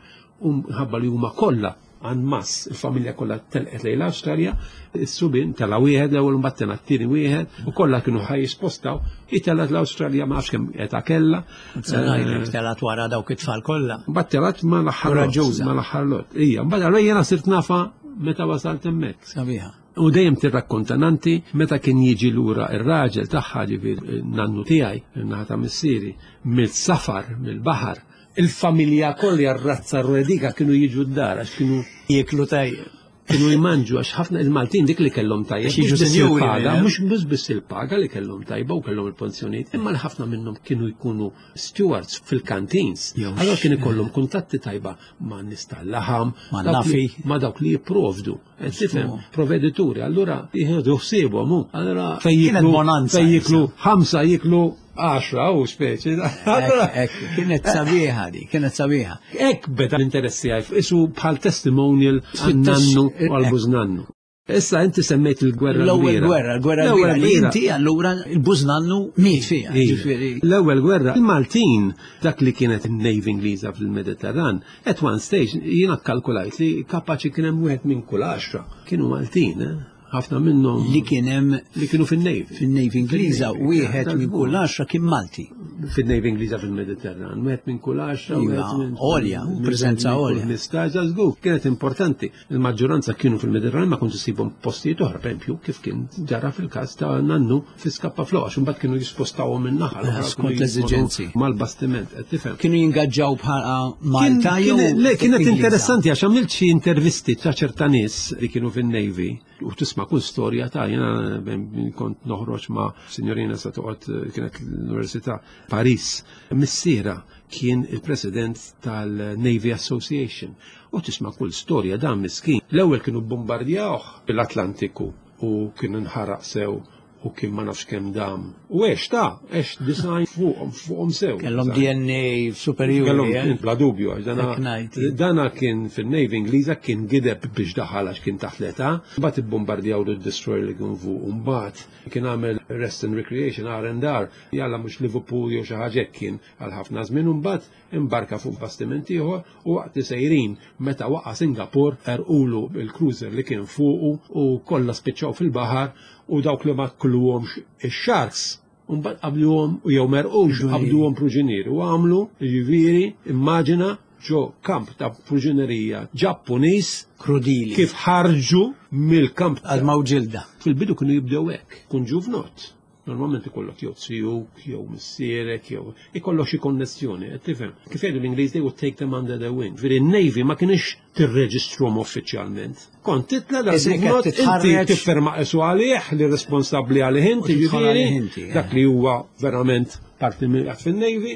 U ħabba li huma kollha en masse, il-familja kollha telqet lejn l-Awstralja, is-subien tela' wieħed l-ewwel mbagħad tela' t-tieni wieħed u kollha kienu ħaj jispostaw, itelgħet l-Awstralja ma nafx kemm età kellha. Se ngħidlek telgħet wara dawk it-tfal kollha. Mbagħad telgħet ma l-aħħar lot, Koraġġuża. ma l-aħħar lot. Ija, mbagħad allura jiena sirt nafa meta wasalt hemmhekk. Sabiħa. U dejjem tirrakkonta nanti meta kien jiġi lura ir-raġel tagħha ġifier nannu tiegħi, in-naħa ta' missieri, mill-safar, mill-baħar. Il-familja kollha r-razza r-redika kienu jiġu d-dar għax kienu Jieklu tajjeb. kienu jmanġu għax ħafna il-Maltin dik li kellhom tajjeb. Għax jiġu mhux biss sinjuri, il-paga, eh? mhux mhux biss il-paga li kellhom tajba u kellhom il-pensjonijiet, imma li ħafna minnhom kienu jkunu stewards fil-canteens. Jew Allora kien ikollhom kuntatti tajba ma' nies tal-laħam, Ma' dawk li- nafi. ma' dawk li jipprovdu. Qed tifhem, provvedituri, allura jieħdu ħsiebhom hu. Allura fejn Kienet jiklu bonanza, fejn jiklu ħamsa jiklu għaxra u speċi. Allura Ek, ek, kienet sabiħa di, kienet sabiħa. Ek beda l-interessi għaj, isu bħal testimonial għan-nannu u għal-bużnannu. Issa inti semmejt il-gwerra L-ewwel kbira. gwerra, l-gwerra L-ewwel kbira li kbira. inti allura il-bużnannu miet fiha. Iva. Ġifieri L-ewwel gwerra, il-Maltin, dak li kienet il-Navy Ingliża fil-Mediterran, at one stage jiena kkalkulajt li kapaċi kien hemm wieħed minn kull għaxra. Kienu Maltin, eh? Ħafna minnhom li kien hemm li kienu fin-Navy. fin-Navy Ingliża Fin-Navy, wieħed tal- minn kull għaxra kien Malti. Fin-Navy Ingliża fil-Mediterran, wieħed minn kull għaxra, Iva, wieħed minn għolja, minn- preżenza minn kull għolja. ħmistax, żgur, kienet importanti. Il-maġġoranza kienu fil-Mediterran ma kontu ssibhom postijiet oħra, per esempio, kif kien ġara fil-każ ta' nannu fi Scapa Flow, għax imbagħad kienu jispostawhom minn naħa l-oħra, Skont kienu l-eżiġenzi. jispostaw Mal-bastiment, qed tifhem. Kienu jingaġġaw bħala Malta Kien- jew kien- Le, kienet Ingliża? interessanti għax għamilt xi intervisti ta' ċerta nies li kienu fin-Navy u tisma' kull storja ta' jiena ben- kont noħroġ ma' signorina sa toqgħod eh, kienet l-Università Paris. Missiera kien il-president tal-Navy Association u tisma' kull storja dan miskin. L-ewwel kienu bombardjawh l-Atlantiku u kien inħaraq sew u kien ma nafx kemm dam. U għex ta' għex design fuqhom fuqhom sew. Kellhom D N A superjuri. Kellhom eh? bla dubju, għax dana, Hekk ngħid. dana kien fil-Navy Ingliża kien gideb biex daħal għax kien taħt l-età, mbagħad ibbombardjaw l-destroyer li kien fuq, u mbagħad kien għamel Rest and Recreation R and R, jalla mhux Liverpool jew xi ħaġa hekk kien għal ħafna żmien, u mbagħad imbarka fuq bastiment ieħor u waqt li sejrin meta waqa' Singapore erqulu il-cruiser li kien fuqu u kollha spiċċaw fil-baħar u dawk li ma kulluhomx ix-sharks Mbagħad qabluhom u jew merqux qabduhom pruġinieri u għamlu ġifieri immaġina ġo kamp ta' pruġinerija Ġappuniż Krudili. kif ħarġu mill-kamp Għadma u ġilda. Fil-bidu kienu jibdew hekk, kun ġuvnot. Normalment ikollok jew zijuk, jew missierek, jew ikollok xi konnessjoni, qed tifhem. Kif jgħidu l-Ingliż, they would take them under their wing. Ġifieri n-Navy ma kienx tirreġistrhom uffiċjalment. Kont titla dal Isek qed ġuvnot, inti titħarreġ. tifferma qisu għalih li responsabbli għalih inti, U tidħol ġifieri, għalih inti, eh. dak li huwa verament parti minn fin-Navy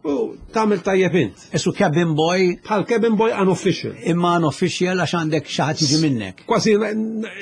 u tagħmel tajjeb int. Isu cabin boy Bħal cabin boy unofficial. Imma unofficial għax għandek xi ħadd jiġi minnek. Kważi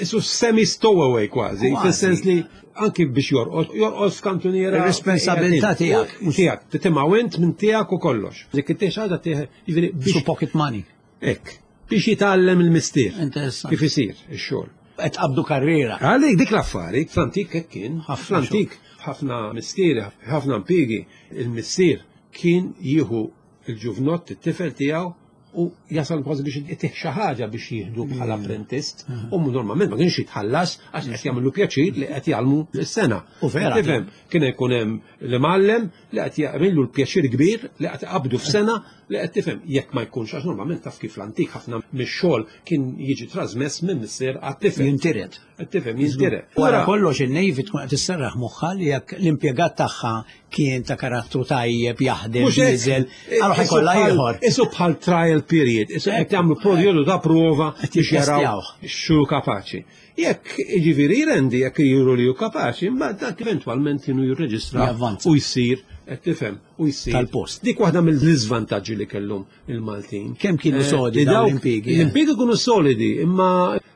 isu semi stowaway kważi, Kważi. fis-sens li anki biex jorqod, jorqod f'kantuniera. Ir-responsabilità tiegħek. Tiegħek, titimgħu int minn tiegħek u kollox. Dik it ħaġa tiegħek, jiġifieri Su biex pocket money. hekk, biex jitgħallem il-mistier. Interessanti. Kif isir ix-xogħol. Qed qabdu karriera. Għalik dik l-affari, fl-antik hekk kien, Ħafna fl-antik ħafna mistieri, ħafna impjiegi, il-missier kien jieħu il-ġuvnott, it-tifel tiegħu u jasal kważi biex itih xi ħaġa biex jieħdu bħala apprentist u normalment ma kienx jitħallas għax qed jagħmlu pjaċir li qed jgħallmu s-sena. U vera. Tifhem, kien ikun hemm l-imgħallem li qed jagħmlu l-pjaċir kbir li qed iqabdu f'sena li qed tifhem jekk ma jkunx għax normalment taf kif l-antik ħafna mix-xogħol kien jiġi trasmess minn missier għat-tifel. Jintiret. Qed tifhem jintiret. Wara kollox in-Navy tkun qed tisserraħ moħħha li jekk l-impjegat tagħha kien ta' karattru tajjeb jaħdem Mhux hekk. diesel, allura Isu ħajkollha bħal- ieħor. Isu bħal trial period, isu qed jagħmlu perjodu ta' prova Qed biex jaraw jittestjawh. x'hu kapaċi. Jekk jiġifieri jrendi, jekk juru li hu kapaċi, imbagħad dak eventwalment kienu jirreġistra Javvanza. u jsir Qed tifhem u jsir. Tal-post. Dik waħda mill-iżvantaġġi li kellhom il-Maltin. Kemm kienu Eh, sodi li dawn dawk- l-impjiegi, eh? L-impjiegi kienu solidi, imma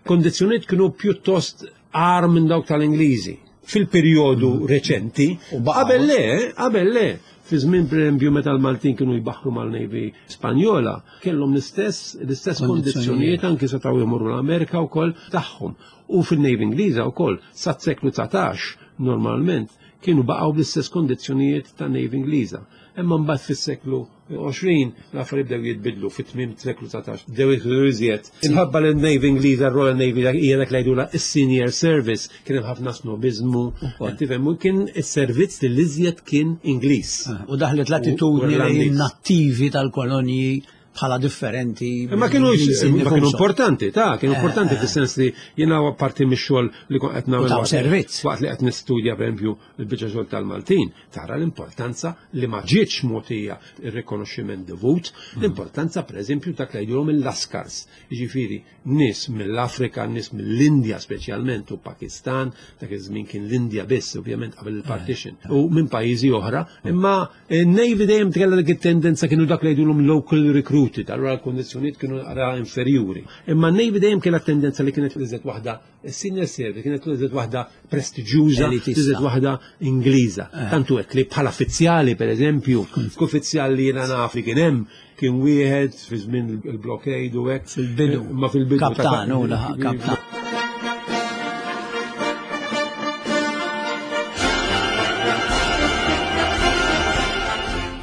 kondizzjonijiet kienu pjuttost agħar minn dawk tal-Ingliżi. Fil-perjodu reċenti, U baqgħu. qabel le, qabel le, fi żmien pereżempju meta l-Maltin kienu jbaħħru mal-Navy Spanjola, kellhom l-istess l-istess Kondizzjonijiet. kondizzjonijiet anki setgħu jmorru l-Amerika wkoll tagħhom. U fil-Navy Ingliża wkoll sat-seklu dsatax normalment kienu baqgħu bl-istess kondizzjonijiet ta' Navy Ingliża. Imma mbagħad fis-seklu għoxrin l-affarijiet bdew jitbidlu fit-tmiem seklu dsatax bdew jidħlu iżjed. Imħabba li n-Navy Ingliża, Royal Navy hija dak li jgħidulha is-senior service, kien hemm ħafna snobizmu, Ukoll. tifhem, u kien is-servizz li l-iżjed kien Ingliż. U daħlet l-attitudni U lejn Irlandiż. nattivi tal-kolonji bħala differenti. Ma kienu mill-Ingliżi ma kienu nfushom. importanti, ta' kienu importanti fis-sens li jiena parti mix-xogħol li kont qed nagħmel U taw waqt- servizz. Waqt li qed nistudja pereżempju il-biċċa xogħol tal-Maltin, tara l-importanza li ma ġietx mogħtija ir-rikonoxximent dovut, l-importanza pereżempju dak li jgħidulhom il-Laskars, jiġifieri nies mill-Afrika, nies mill-Indja speċjalment u Pakistan, dak iż-żmien kien l-Indja biss ovvjament qabel il-partition, u minn pajjiżi oħra, imma n-Navy dejjem kellha dik it-tendenza kienu dak li jgħidulhom local recruited, allura l-kondizzjonijiet kienu naqra inferjuri. Imma n-Navy dejjem kellha tendenza li kienet l-iżjed waħda senior service, kienet l-iżjed waħda prestiġjuża, Elitista. l-iżjed waħda Ingliża. Tantu hekk li bħala uffiċjali pereżempju, uffiċjali li jiena naf li kien hemm kien wieħed fi żmien il-blockade u hekk. Fil-bidu. Ma fil-bidu. Kaptan, u laħaq kaptan.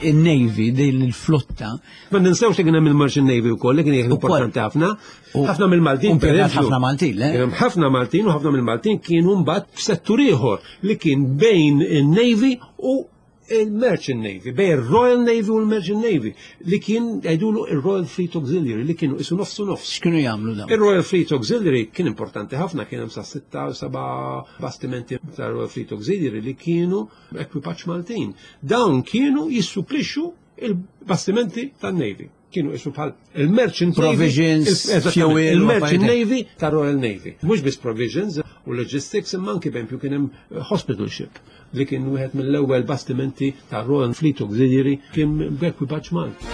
Il-Navy, din il-flotta, Ma ninsewx li kien hemm il-Merchant Navy wkoll li kien Ukoll. importanti ħafna. U- Ħafna mill-Maltin u impjegat pereżempju, ħafna Maltin, le? Kien hemm ħafna Maltin u ħafna mill-Maltin kienu mbagħad f'settur ieħor li kien bejn in-Navy u il-Merchant Navy, bejn il-Royal Navy u l-Merchant Navy, li kien jgħidulu il-Royal Fleet Auxiliary, li kienu isu nofsu nofs. X'kienu jagħmlu dawn? Il-Royal Fleet Auxiliary kien importanti ħafna, kien hemm sa sitta u seba' bastimenti ta' Royal Fleet Auxiliary li kienu ekwipaġġ Maltin. Dawn kienu jissupplixxu il-bastimenti tan-Navy. Kienu isu bħal il-Merchant Navy, Provisions, il- eżattament, fuel, u il-Merchant affarijiet. Navy ta' Royal Navy. Mhux biss provisions u logistics, imma anki bempju kien hemm hospital ship li kien wieħed mill-ewwel bastimenti ta' Royal Fleet Auxiliary kien b'ekwipaġġ Malti.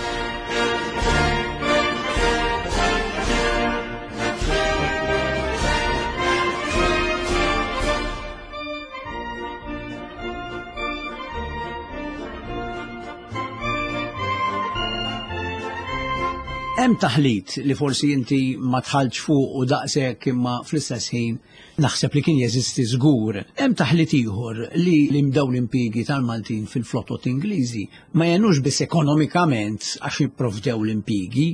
Hemm taħlit li forsi inti ma tħallx fuq u daqshekk imma fl-istess ħin naħseb li kien jeżisti żgur. Hemm taħlit ieħor li li dawn l-impjiegi tal-Maltin fil-flotot Ingliżi ma jenux biss ekonomikament għax jipprovdew l-impjiegi,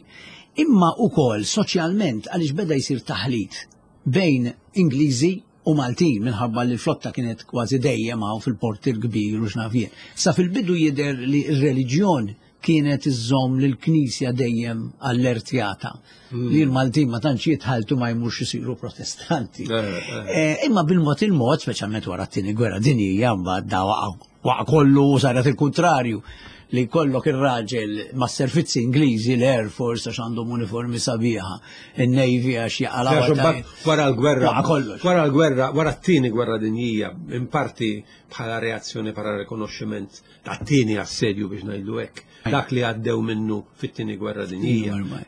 imma ukoll soċjalment għaliex beda jsir taħlit bejn Ingliżi u Maltin minħabba li l-flotta kienet kważi dejjem hawn fil-port il-kbir u x'naf jien. Sa fil-bidu jidher li r-reliġjon kienet iżżomm lill-Knisja dejjem allertjata li l-Maltin ma tantx jitħaltu ma jmurx isiru protestanti. Eh, eh. Eh, Imma bil-mod il-mod, speċjalment wara t-tieni gwerra dinjija, mbagħad da waqa' waqa' kollu u saret il-kontrarju li kollok ir-raġel ma' servizzi Ingliżi, l-Air Force għax għandhom uniformi sabiħa, il-Navy għax jaqalaw. Għax imbagħad wara l-gwerra, Waqa' kollox. wara l-gwerra, wara t-tieni gwerra dinjija, in parti bħala reazzjoni bħala rikonoxximent tat-tieni assedju biex ngħidu hekk, dak li għaddew minnu fit-tieni gwerra dinjija. Ormai.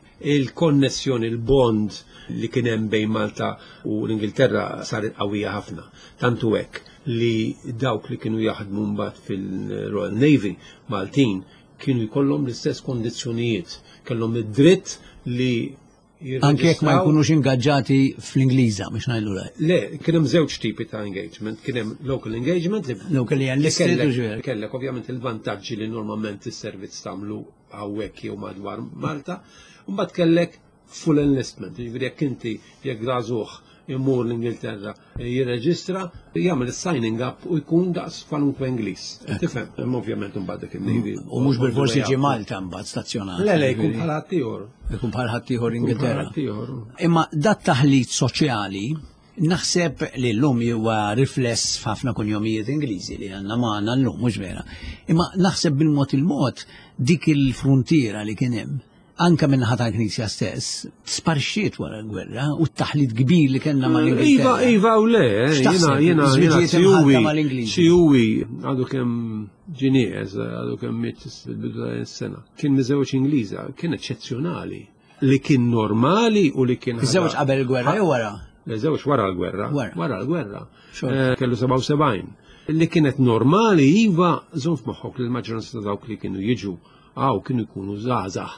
Il-konnessjoni, il-bond li kien hemm bejn Malta u l-Ingilterra saret qawwija ħafna. Tantu hekk li dawk li kienu jaħdmu mbagħad fil-Royal Navy Maltin kienu jkollhom l-istess kondizzjonijiet, kellhom id-dritt li Anke jekk ma jirreġistraw- jkunux ingaġġati fl-Ingliża biex ngħidu lek. Le, kien hemm żewġ tipi ta' engagement, kien hemm local engagement li Local enlisted kellek- u ġifieri. Kellek ovvjament il-vantaġġi li normalment is-servizz tagħmlu hawnhekk jew madwar Malta, u mbagħad kellek full enlistment, jiġifieri jekk inti jekk żagħżugħ imur l-Ingilterra jirreġistra, jagħmel is-signing up u jkun daqs kwalunkwe Ingliż. Tifhem, imma ovvjament imbagħad dik il-Navy. U mhux bil-forsi ġi Malta mbagħad stazzjonat. Le, le, jkun bħala ħaddieħor. Jkun bħal ħaddieħor Jkun bħala Ingilterra. ħaddieħor. Imma dat taħlit soċjali naħseb li llum huwa rifless f'ħafna kunjomijiet Ingliżi li għandna magħna llum mhux vera. Imma naħseb bil-mod il-mod dik il-frontiera li kien hemm anka minn ħata l-Knisja stess, sparxiet wara l-gwerra u t-taħlit kbir li kellna mal-Ingilterra. Iva, iva u le, jiena, jiena, jiena, sijuwi, sijuwi, għadu kemm ġinież, għadu kemm miet fil-bidu ta' sena. Kien miżewġ Ingliża, kien eċċezzjonali, li kien normali u li kien. Miżewġ qabel il-gwerra jew wara? Miżewġ wara l-gwerra. Wara l-gwerra. Kellu sebgħa u sebgħin. Li kienet normali, iva, żomm f'moħħok li l-maġġoranza ta' dawk li kienu jiġu għaw kienu jkunu żgħażagħ,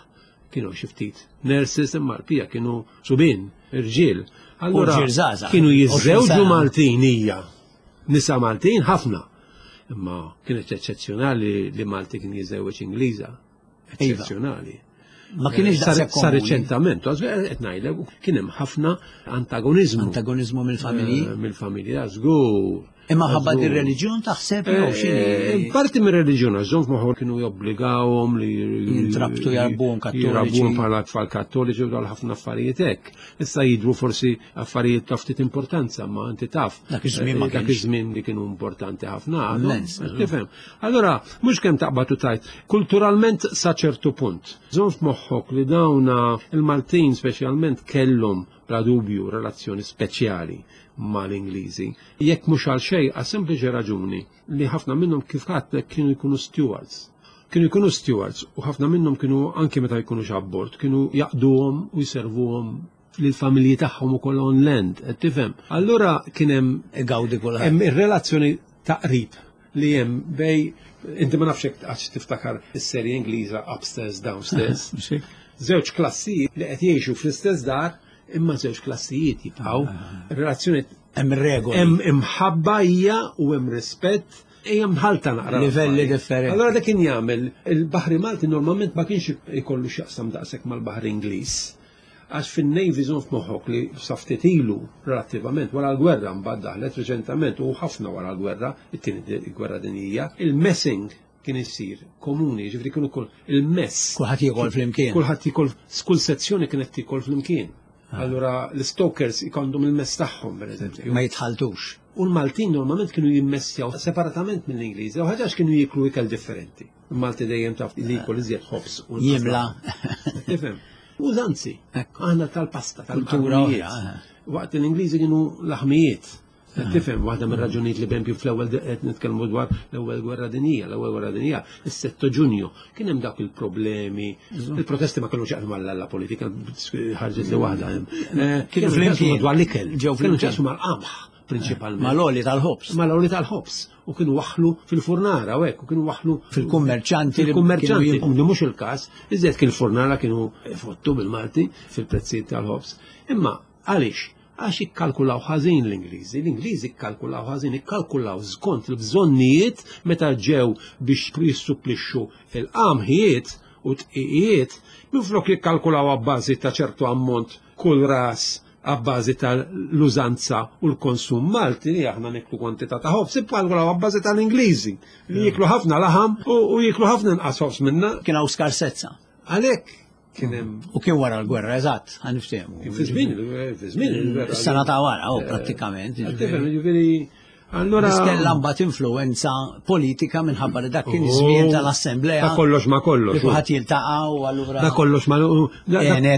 kienu xi ftit nurses, imma l-pija kienu subien, irġiel. Allura kienu jiżżewġu Maltin hija, nisa Maltin ħafna. Imma kienet eċċezzjonali li Malti kien jiżżewweġ Ingliża. Eċċezzjonali. Ma kienx daqshekk komuni. Sa reċentament, qed ngħidlek, kien hemm ħafna antagonizmu. Antagonizmu mill-familji? Mill-familja, żgur. Imma ħabba dir-reliġjon taħseb jew x'inhi? Parti mir-reliġjon, għax żomm f'moħħok kienu jobbligawhom li jintrabtu jarbuhom kattoliċi. Jarbuhom bħala tfal kattoliċi u dal ħafna affarijiet hekk. Issa jidhru forsi affarijiet ta' ftit importanza, ma inti taf. Dak iż-żmien ma kienx. Dak iż-żmien li kienu importanti ħafna. Tifhem. Allura mhux kemm taqbad u tajt, kulturalment sa ċertu punt. Żomm f'moħħok li dawna il-Maltin speċjalment kellhom bla dubju relazzjoni speċjali mal-Ingliżi. Jekk mhux għal xejn, għal sempliċi raġuni li ħafna minnhom kif għadlek kienu jkunu stewards. Kienu jkunu stewards u ħafna minnhom kienu anke meta jkunu abbord, kienu jaqduhom u jservuhom lill-familji tagħhom ukoll on land, qed tifhem. Allura kien hemm gawdi kulħadd. Hemm ir-relazzjoni ta' qrib li hemm bej inti ma nafx hekk għax tiftakar is-serje Ingliża Upstairs Downstairs. Żewġ klassijiet li qed jgħixu fl-istess dar, imma żewġ klassijiet jibqgħu. Relazzjoni hemm regoli. Hemm imħabba hija u hemm rispett, hija mħalta naqra. Livelli differenti. Allora dak kien jagħmel il-Baħri Malti normalment ma kienx ikollu x'jaqsam daqshekk mal-Baħri Ingliż. Għax fin-Navy żomm f'moħħok li sa ftit ilu relattivament wara l-gwerra mbagħad daħlet reċentament u ħafna wara l-gwerra, it-tieni gwerra dinjija, il-messing kien isir komuni, ġifieri kienu kull il-mess. Kulħadd jiekol flimkien. Kulħadd jiekol, kull sezzjoni kienet tiekol flimkien. Allura l-stokers ikondhom il-mess tagħhom pereżempju. Ma jitħaltux. U l-Maltin normalment kienu jimmessjaw separatament mill-Ingliżi, u ħaġa kienu jieklu ikel differenti. Il-Malti dejjem taf li jkol iżjed ħobż u jimla. Tifhem. Użanzi, aħna tal-pasta, tal-kultura oħra. Waqt l-Ingliżi kienu laħmijiet. Tifhem, waħda mir-raġunijiet li bempju fl-ewwel qed nitkellmu dwar l-ewwel gwerra dinjija, l-ewwel gwerra dinjija, is-sitta Ġunju, kien hemm dawk il-problemi, il-protesti ma kellux jaqsmu mal politika, ħarġet li waħda hemm. Kienu flimkien dwar l-ikel, kienu jaqsmu mal-qamħ prinċipalment. Mal-oli tal-ħobż. Mal-oli tal-ħobż. U kienu waħlu fil-furnara u hekk, u kienu waħlu fil-kummerċanti. Fil-kummerċanti, li mhux il-każ, iżjed kien il-furnara kienu fottu bil-Malti fil-prezzijiet tal-ħobż. Imma għaliex? Għax ikkalkulaw ħażin l-Ingliżi, l-Ingliżi ikkalkulaw ħażin, ikkalkulaw skont il-bżonnijiet meta ġew biex jissupplixxu il-qamħijiet u tqiqijiet, minflok jikkalkulaw abbażi ta' ċertu ammont kull ras abbażi tal-użanza u l-konsum Malti li aħna niklu kwantità ta' ħobż, ikkalkulaw abbażi tal-Ingliżi li jiklu ħafna laħam u jiklu ħafna inqas ħobż minna. Kien hawn skarsezza. Għalhekk kien hemm. U kien wara l-gwerra, eżatt, ħaniftehmu. Fi żmien, fi żmien il-gwerra. Is-sena ta' wara, oh, prattikament. Tifhem, jiġifieri allura kellha mbagħad influenza politika minħabba li dak kien iż-żmien tal-assemblea. Ta' kollox ma kollox. Kulħadd jiltaqa' u allura. Ta' kollox ma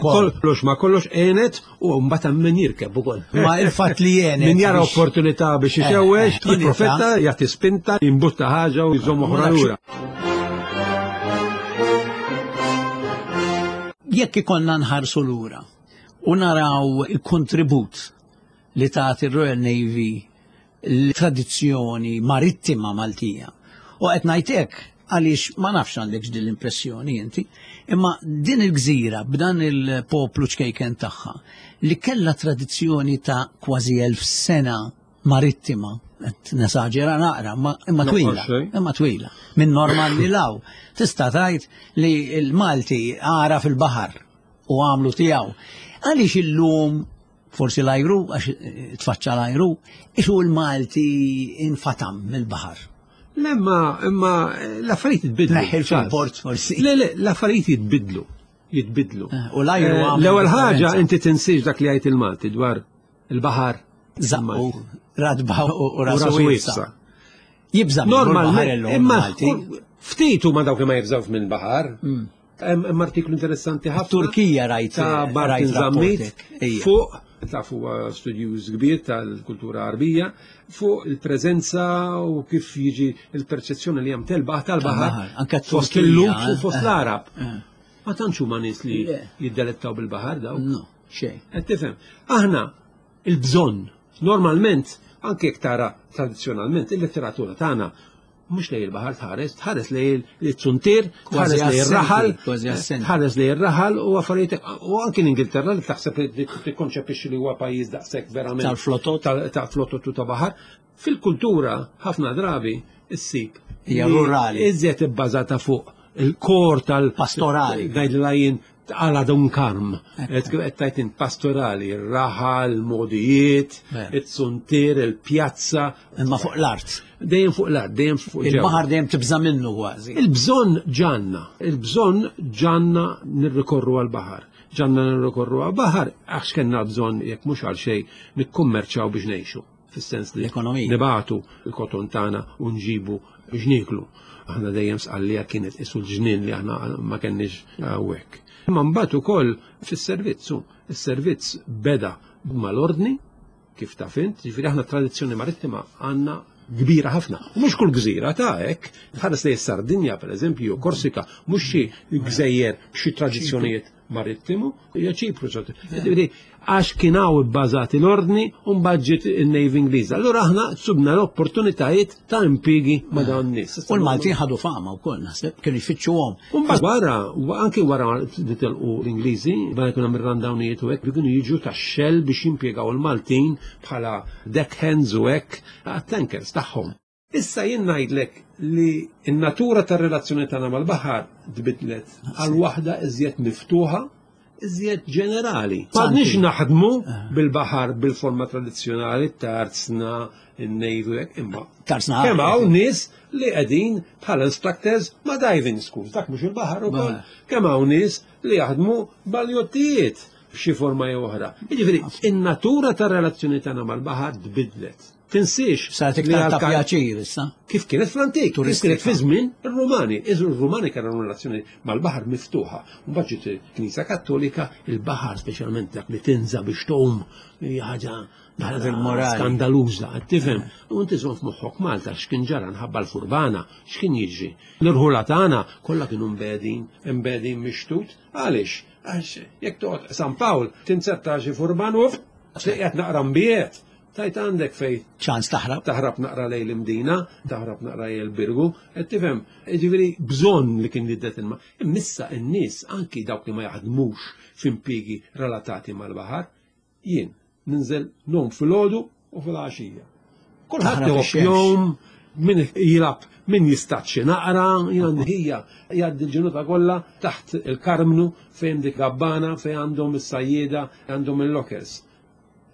kollox ma kollox għenet u mbagħad hemm min jirkeb ukoll. Ma il-fatt li għenet. Min jara opportunità biex ixewwex, jipprofetta, jagħti spinta, jimbutta ħaġa u jżomm oħra lura. Jekk ikollna nħarsu lura u naraw il-kontribut li tagħti ir-Royal Navy l-tradizzjoni marittima Maltija. U qed ngħid hekk għaliex ma nafx għandek din l-impressjoni inti, imma din il-gżira b'dan il-poplu ċkejken tagħha li kellha tradizzjoni ta' kważi elf sena marittima, qed nesaġera naqra, imma twila, imma twila. Minn Normanni law, tista' tgħid li l-Malti għara fil-baħar u għamlu tiegħu. Għaliex illum forsi l-ajru, għax tfaċċa l-ajru, ixu l-Malti infatam mill-baħar. Le, imma imma l-affarijiet jitbidlu. Neħħil fil-port forsi. Le, le, l-affarijiet jitbidlu. Jitbidlu. U l-ajru għamlu. L-ewwel ħaġa inti tinsiex dak li jgħid il-Malti dwar il-baħar. Zaqqu, radba u rasu wiesa. Jibża' Normalment, imma ftit huma dawk li ma jibżgħux mill-baħar. Hemm artiklu interessanti ħafna. Turkija rajt ta' Martin Zammit fuq, taf huwa studjuż kbir tal-kultura Arbija, fuq il-preżenza u kif jiġi il-perċezzjoni li hemm telbaħ tal-baħar fost il-Lut u fost l-Arab. Ma tantx huma nies li jiddelettaw bil-baħar dawk. No, xejn. Qed tifhem. Aħna il-bżonn normalment anke jekk tara tradizzjonalment il-letteratura tagħna mhux lej il-baħar tħares, tħares lej il-zuntier, tħares lej ir-raħal, tħares lej ir-raħal u affarijiet, u anke l-Ingilterra li taħseb li tikkonċepixxi li huwa pajjiż daqshekk verament tal-flotot, tal-flotot u ta' baħar. Fil-kultura ħafna drabi issib hija rurali. Iżjed ibbażata fuq il-kor tal-pastorali. Ngħidilha għala Don Karm, qed pastorali, ir-raħal, il-modijiet, it-suntier, il-pjazza. Imma fuq l-art. Dejjem fuq l-art, dejjem fuq il-baħar dejjem tibża' minnu kważi. Il-bżonn ġanna, il-bżonn ġanna nirrikorru għall-baħar. Ġanna nirrikorru għall-baħar għax kellna bżonn jekk mhux għal xejn nikkummerċaw biex ngħixu. Fis-sens li nibatu il-koton tagħna u nġibu biex nieklu. Aħna dejjem sqallija kienet isu l-ġnien li aħna ma kenniex hawnhekk. Imma mbagħad ukoll fis-servizz, is-servizz beda mal-ordni, kif taf int, ġifieri aħna tradizzjoni marittima għandna kbira ħafna. U mhux kull gżira ta' hekk, tħares lejn Sardinja pereżempju, Korsika, mhux xi gżejjer b'xi tradizzjonijiet marittimu, hija Ċipru. Ġifieri għax kien hawn ibbażati l-ordni u mbagħad ġiet in-Navy Ingliża. Allura aħna subna l-opportunitajiet ta' impjiegi ma' dawn nies. U l-Maltin ħadu fama wkoll naħseb, kienu jfittxuhom. U mbagħad wara, anke wara li telqu l-Ingliżi, wara jkun hemm ir-randawnijiet u hekk, kienu jiġu tax-Shell biex jimpjegaw il-Maltin bħala deckhands u hekk għat-tankers tagħhom. Issa jien ngħidlek li n-natura tar-relazzjoni tagħna mal-baħar tbidlet għal waħda iżjed miftuħa, iżjed ġenerali. M'għadniex naħdmu bil-baħar bil-forma tradizzjonali, tarzna, in-Navy hekk, imma kemm hawn nies li qegħdin bħala instructors ma' diving schools, dak mhux il-baħar ukoll. Kemm hawn nies li jaħdmu bal-jottijiet b'xi forma jew oħra. Jiġifieri, in-natura tar-relazzjoni tagħna mal-baħar tbidlet. Tinsiex. Saret iktar ta' pjaċir issa. Kif kienet fl-antik, kif kienet fi żmien ir-Rumani. Ir-Rumani kellhom relazzjoni mal-baħar miftuħa. Mbagħad ġiet il-Knisja Kattolika, il-baħar speċjalment dak li tinża biex tgħum hija ħaġa skandaluża, tifhem. U inti żomm f'moħħok Malta x'kien ġara nħabba l-furbana, x'kien jiġri. L-irħula tagħna kollha kienu mbedin, mbedin mixtut. Għaliex? Għax jekk toqgħod San Pawl tinzerta xi furban u qiegħed naqra mbiet. Tajt għandek fej ċans taħrab. Taħrab naqra lejn l-Imdina, taħrab naqra lejn il-Birgu, qed tifhem, jiġifieri bżonn li kien jiddet ilma. Immissa n-nies anki dawk li ma jaħdmux f'impjiegi relatati mal-baħar, jien ninżel nom fil-għodu u fil-għaxija. Kulħadd jom min jilab, min jistaċċi naqra, jien hija jgħaddi l-ġenuta kollha taħt il-Karmnu fejn dik gabbana fejn għandhom is-sajjieda, għandhom il-lockers.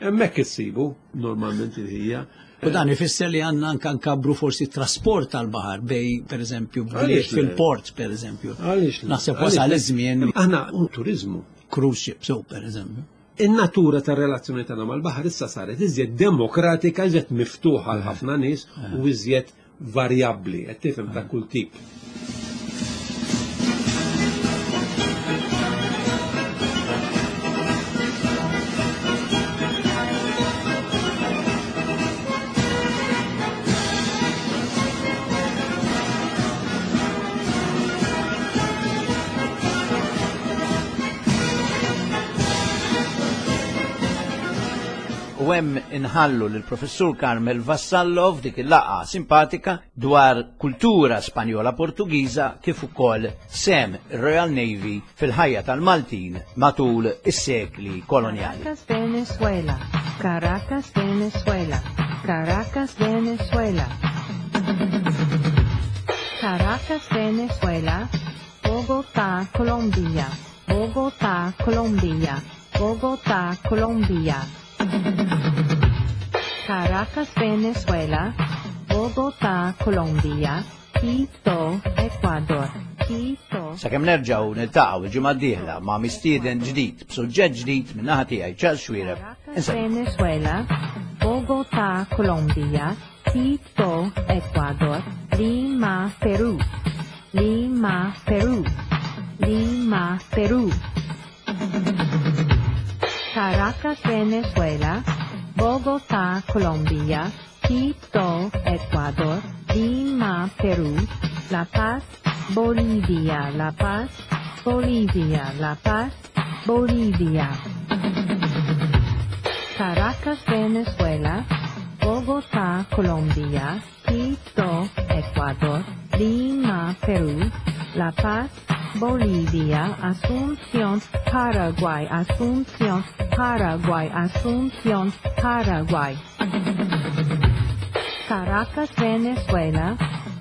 Hemmhekk issibu normalment il-ħija. U dan ifisser li għandna anke nkabru forsi trasport tal-baħar bej pereżempju bliet fil-port pereżempju. Għaliex? Naħseb wasal iż-żmien. Aħna turiżmu. Cruise ships pereżempju. In-natura tar-relazzjoni tagħna mal-baħar issa saret iżjed demokratika, iżjed miftuħa għal ħafna nies u iżjed varjabbli, qed tifhem ta' kull tip. U hemm inħallu lill-Professur Carmel Vassallo f'dik il-laqgħa simpatika dwar kultura Spanjola Portugiża kif ukoll sem Royal Navy fil-ħajja tal-Maltin matul is-sekli kolonjali. Caracas, Venezuela, Caracas, Venezuela, Caracas, Venezuela. Caracas, Venezuela, Bogotá, Colombia, Bogotá, Colombia, Bogotá, Colombia. Caracas, Venezuela, Bogotá, Colombia, Quito, Ecuador, Quito. Sakemm nerġgħu niltaqgħu il-ġimgħa d-dieħla ma' mistieden ġdid b'suġġett ġdid minn naħa tiegħi Charles Xuereb. Caracas, Venezuela, Bogotá, Colombia, Quito, Ecuador, Lima, Perú, Lima, Perú, Lima, Perú. Caracas, Venezuela, Bogotá, Colombia, Quito, Ecuador, Lima, Perú, La Paz, Bolivia, La Paz, Bolivia, La Paz, Bolivia. Caracas, Venezuela, Bogotá, Colombia, Quito, Ecuador, Lima, Perú, La Paz, Bolivia, Asunción, Paraguay, Asunción, Paraguay, Asunción, Paraguay. Caracas, Venezuela,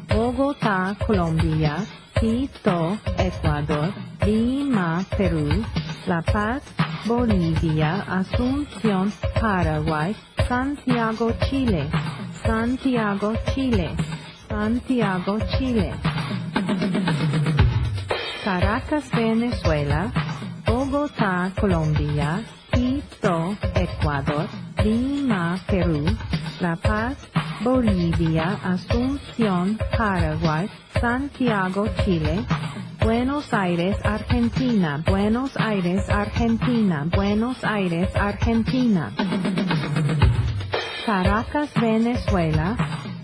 Bogotá, Colombia, Quito, Ecuador, Lima, Perú, La Paz, Bolivia, Asunción, Paraguay, Santiago, Chile, Santiago, Chile, Santiago, Chile. Caracas, Venezuela, Bogotá, Colombia, Quito, Ecuador, Lima, Perú, La Paz, Bolivia, Asunción, Paraguay, Santiago, Chile, Buenos Aires, Argentina, Buenos Aires, Argentina, Buenos Aires, Argentina. Caracas, Venezuela,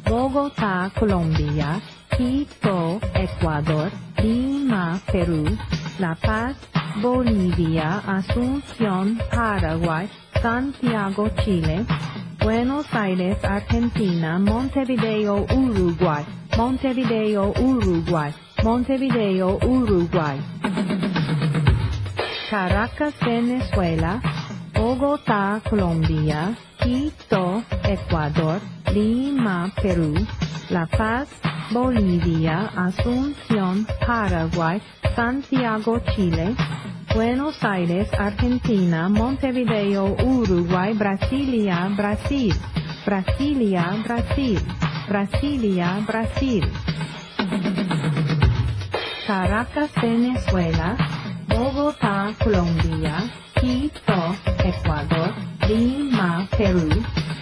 Bogotá, Colombia, Quito, Ecuador, Lima, Perú, La Paz, Bolivia, Asunción, Paraguay, Santiago, Chile, Buenos Aires, Argentina, Montevideo, Uruguay, Montevideo, Uruguay, Montevideo, Uruguay. Caracas, Venezuela, Bogotá, Colombia, Quito, Ecuador, Lima, Perú, La Paz, Bolivia, Asunción, Paraguay, Santiago, Chile, Buenos Aires, Argentina, Montevideo, Uruguay, Brasilia, Brasil, Brasilia, Brasil, Brasilia, Brasil. Caracas, Venezuela, Bogotá, Colombia, Quito, Ecuador, Lima, Perú,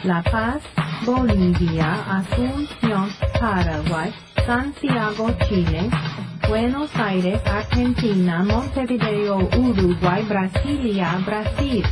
La Paz, Bolivia, Asunción, Paraguay, Santiago, Chile, Buenos Aires, Argentina, Montevideo, Uruguay, Brasilia, Brasil.